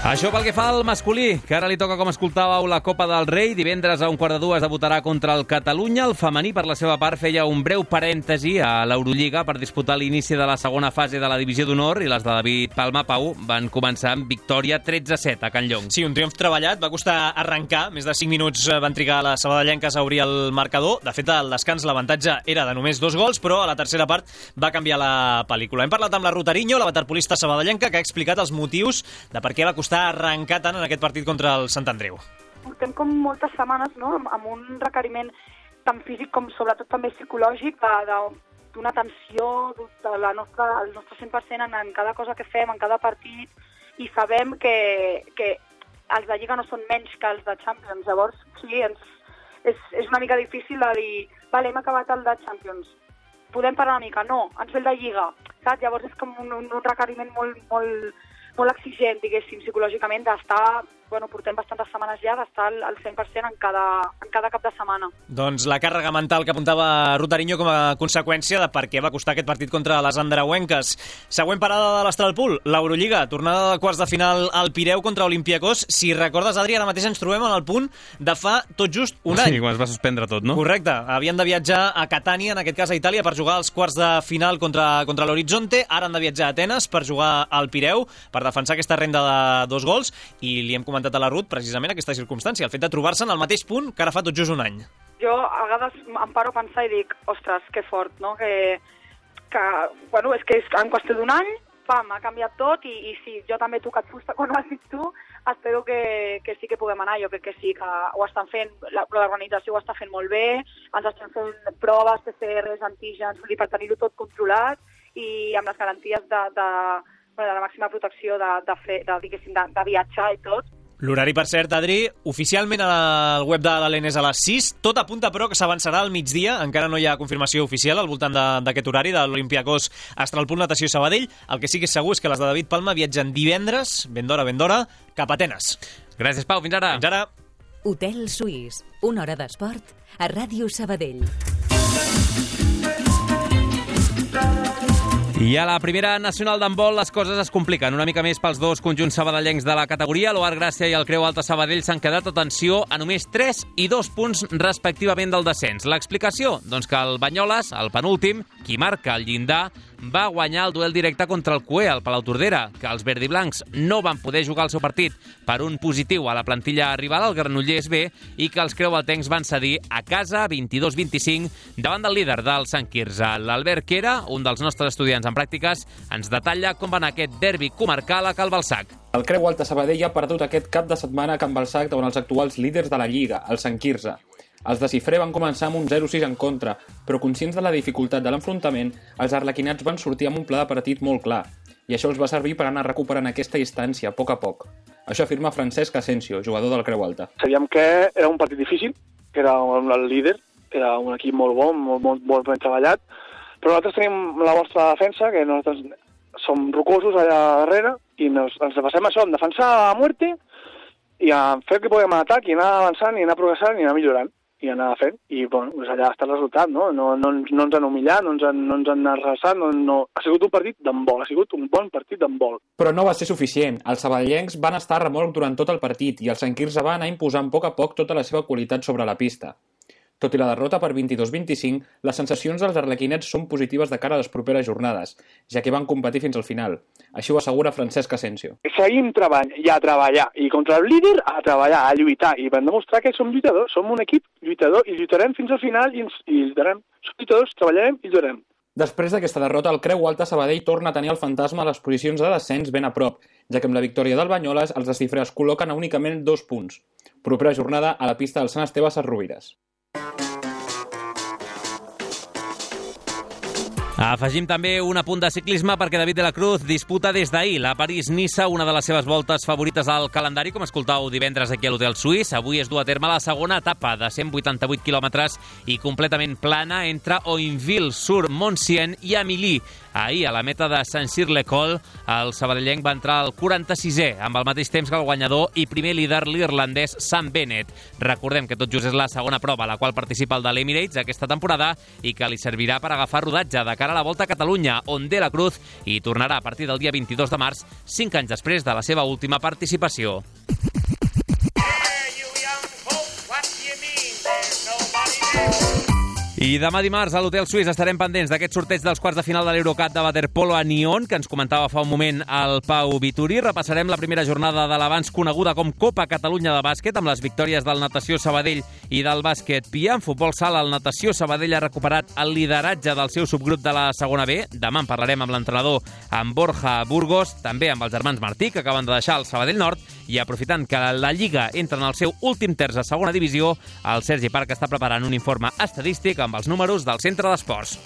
Això pel que fa al masculí, que ara li toca, com escoltàveu, la Copa del Rei. Divendres a un quart de dues debutarà contra el Catalunya. El femení, per la seva part, feia un breu parèntesi a l'Eurolliga per disputar l'inici de la segona fase de la Divisió d'Honor, i les de David Palma Pau van començar amb victòria tretze a set a Can Llong. Sí, un triomf treballat. Va costar arrencar. Més de cinc minuts van trigar a les sabadellenques a obrir el marcador. De fet, al descans l'avantatge era de només dos gols, però a la tercera part va canviar la pel·lícula. Hem parlat amb la Rutariño, la waterpolista sabadellenca, que ha explicat els motius de per què va costar arrencar tant en aquest partit contra el Sant Andreu. Portem com moltes setmanes, no?, amb un requeriment tant físic com sobretot també psicològic d'una tensió de la nostra, el nostre cent per cent en, en cada cosa que fem, en cada partit, i sabem que, que els de Lliga no són menys que els de Champions. Llavors, sí, ens, és, és una mica difícil de dir, vale, hem acabat el de Champions, podem parar una mica? No, ens ve el de Lliga, saps? Llavors és com un, un requeriment molt, molt, molt exigent, diguéssim, psicològicament, d'estar bueno, portem bastantes setmanes ja d'estar al cent per cent en cada, en cada cap de setmana. Doncs la càrrega mental que apuntava Ruth Ariño com a conseqüència de per què va costar aquest partit contra les andreuenques. Següent parada de l'Astralpool, l'Eurolliga, tornada de quarts de final al Pireu contra Olympiacos. Si recordes, Adri, ara mateix ens trobem en el punt de fa tot just un any. Sí, quan es va suspendre tot, no? Correcte. Havien de viatjar a Catània, en aquest cas a Itàlia, per jugar als quarts de final contra, contra l'Horizonte. Ara han de viatjar a Atenes per jugar al Pireu, per defensar aquesta renda de dos gols, i li hem comentat a la Ruth precisament aquesta circumstància, el fet de trobar-se en el mateix punt que ara fa tot just un any. Jo a vegades em paro a pensar i dic, ostres, que fort, no? Que, que bueno, és que és en qüestió d'un any, pam, ha canviat tot, i, i sí, jo també he tocat fusta quan ho has dit tu, espero que, que sí que puguem anar, jo crec que sí, que ho estan fent, l'organització ho està fent molt bé, ens estan fent proves, P C Rs, antígens, per tenir-ho tot controlat, i amb les garanties de, de, de la màxima protecció de, de, fer, de, de, de viatjar i tot. L'horari, per cert, Adri, oficialment al web de l'Alén és a les sis, tot apunta però que s'avançarà al migdia, encara no hi ha confirmació oficial al voltant d'aquest horari de l'Olympiacos Astralpool Natació Sabadell. El que sí que és segur és que les de David Palma viatgen divendres, ben d'hora, ben d'hora, cap a Atenes. Gràcies, Pau, fins ara. Fins ara. Hotel Suís, una hora d'esport a Ràdio Sabadell. I a la primera nacional d'handbol les coses es compliquen una mica més pels dos conjunts sabadellencs de la categoria. L'Oar Gràcia i el Creu Alta Sabadell s'han quedat, atenció, a només tres i dos punts respectivament del descens. L'explicació? Doncs que el Banyoles, el penúltim, qui marca el llindar, va guanyar el duel directe contra el Cué, al Palau Tordera, que els verdiblancs no van poder jugar el seu partit per un positiu a la plantilla rival, el Granollers B, i que els creualtencs van cedir a casa vint-i-dos vint-i-cinc davant del líder del Sant Quirze. L'Albert Quera, un dels nostres estudiants en pràctiques, ens detalla com va anar aquest derbi comarcal a Cal Balsac. El Creu Alta Sabadell ha perdut aquest cap de setmana a Can Balsac davant els actuals líders de la Lliga, el Sant Quirze. Els de Cifré van començar amb un zero sis en contra, però conscients de la dificultat de l'enfrontament, els arlequinats van sortir amb un pla de partit molt clar, i això els va servir per anar recuperant aquesta distància a poc a poc. Això afirma Francesc Asensio, jugador del Creu Alta. Sabíem que era un partit difícil, que era el líder, era un equip molt bon, molt, molt, molt ben treballat, però nosaltres tenim la vostra defensa, que nosaltres som rocosos allà darrere, i nos, ens passem això, en defensar a muerte, i a fer que podem anar a atac, i anar avançant, i anar progressant, i anar millorant. i anar fent, i bueno, doncs allà està el resultat, no? No, no, no ens han humillat, no ens han, no ens han arrasat, no, no... ha sigut un partit d'handbol, ha sigut un bon partit d'handbol. Però no va ser suficient. Els sabadellencs van estar a remolc durant tot el partit i el Sant Quirze va anar imposant a poc a poc tota la seva qualitat sobre la pista. Tot i la derrota per vint-i-dos vint-i-cinc, les sensacions dels arlequinets són positives de cara a les properes jornades, ja que van competir fins al final. Així ho assegura Francesc Asensio. Seguim treballant i a treballar, i contra el líder a treballar, a lluitar, i vam demostrar que som lluitadors, som un equip lluitador, i lluitarem fins al final, i, ens, i lluitarem. Som lluitadors, treballarem i lluitarem. Després d'aquesta derrota, el Creu Alta Sabadell torna a tenir el fantasma a les posicions de descens ben a prop, ja que amb la victòria del Banyoles els de Cifré es col·loquen a únicament dos punts. Propera jornada a la pista del Sant Esteve a Ses Rovires. Afegim també un apunt de ciclisme perquè David de la Cruz disputa des d'ahir la París-Niça, una de les seves voltes favorites al calendari, com escoltàveu divendres aquí a l'Hotel Suís. Avui es du a terme la segona etapa de cent vuitanta-vuit quilòmetres i completament plana entre Oinville-sur-Montsien i Amilly. Ahir, a la meta de Saint-Cyr-l'École, el sabadellenc va entrar al quaranta-sisè, amb el mateix temps que el guanyador i primer líder, l'irlandès Sam Bennett. Recordem que tot just és la segona prova a la qual participa el de l'Emirates aquesta temporada i que li servirà per agafar rodatge de cara a la Volta a Catalunya, on De la Cruz hi tornarà a partir del dia vint-i-dos de març, cinc anys després de la seva última participació. I demà dimarts a l'Hotel Suís estarem pendents d'aquest sorteig dels quarts de final de l'Eurocup de waterpolo a Nyon, que ens comentava fa un moment el Pau Vituri. Repassarem la primera jornada de l'abans coneguda com Copa Catalunya de bàsquet, amb les victòries del Natació Sabadell i del bàsquet Pia. En futbol sala, el Natació Sabadell ha recuperat el lideratge del seu subgrup de la segona B. Demà en parlarem amb l'entrenador, amb Borja Burgos, també amb els germans Martí, que acaben de deixar el Sabadell Nord, i aprofitant que la Lliga entra en el seu últim terç a segona divisió, el Sergi Parc està preparant un informe estadístic amb els números del Centre d'Esports.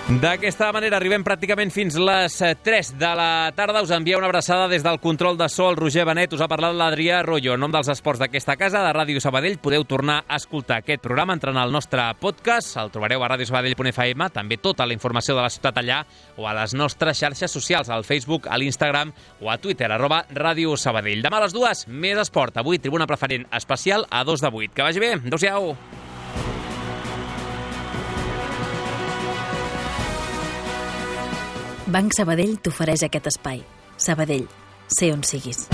D'aquesta manera arribem pràcticament fins les tres de la tarda. Us envia una abraçada des del control de so el Roger Benet. Us ha parlat l'Adrià Royo. En nom dels esports d'aquesta casa, de Ràdio Sabadell, podeu tornar a escoltar aquest programa entrant al nostre podcast. El trobareu a radiosabadell punt f m, també tota la informació de la ciutat allà, o a les nostres xarxes socials, al Facebook, a l'Instagram o a Twitter, arroba Ràdio Sabadell. Demà a les dues, més esport. Avui, tribuna preferent especial a dos de vuit. Que vagi bé. Adéu-siau. Banc Sabadell t'ofereix aquest espai. Sabadell, sé on siguis.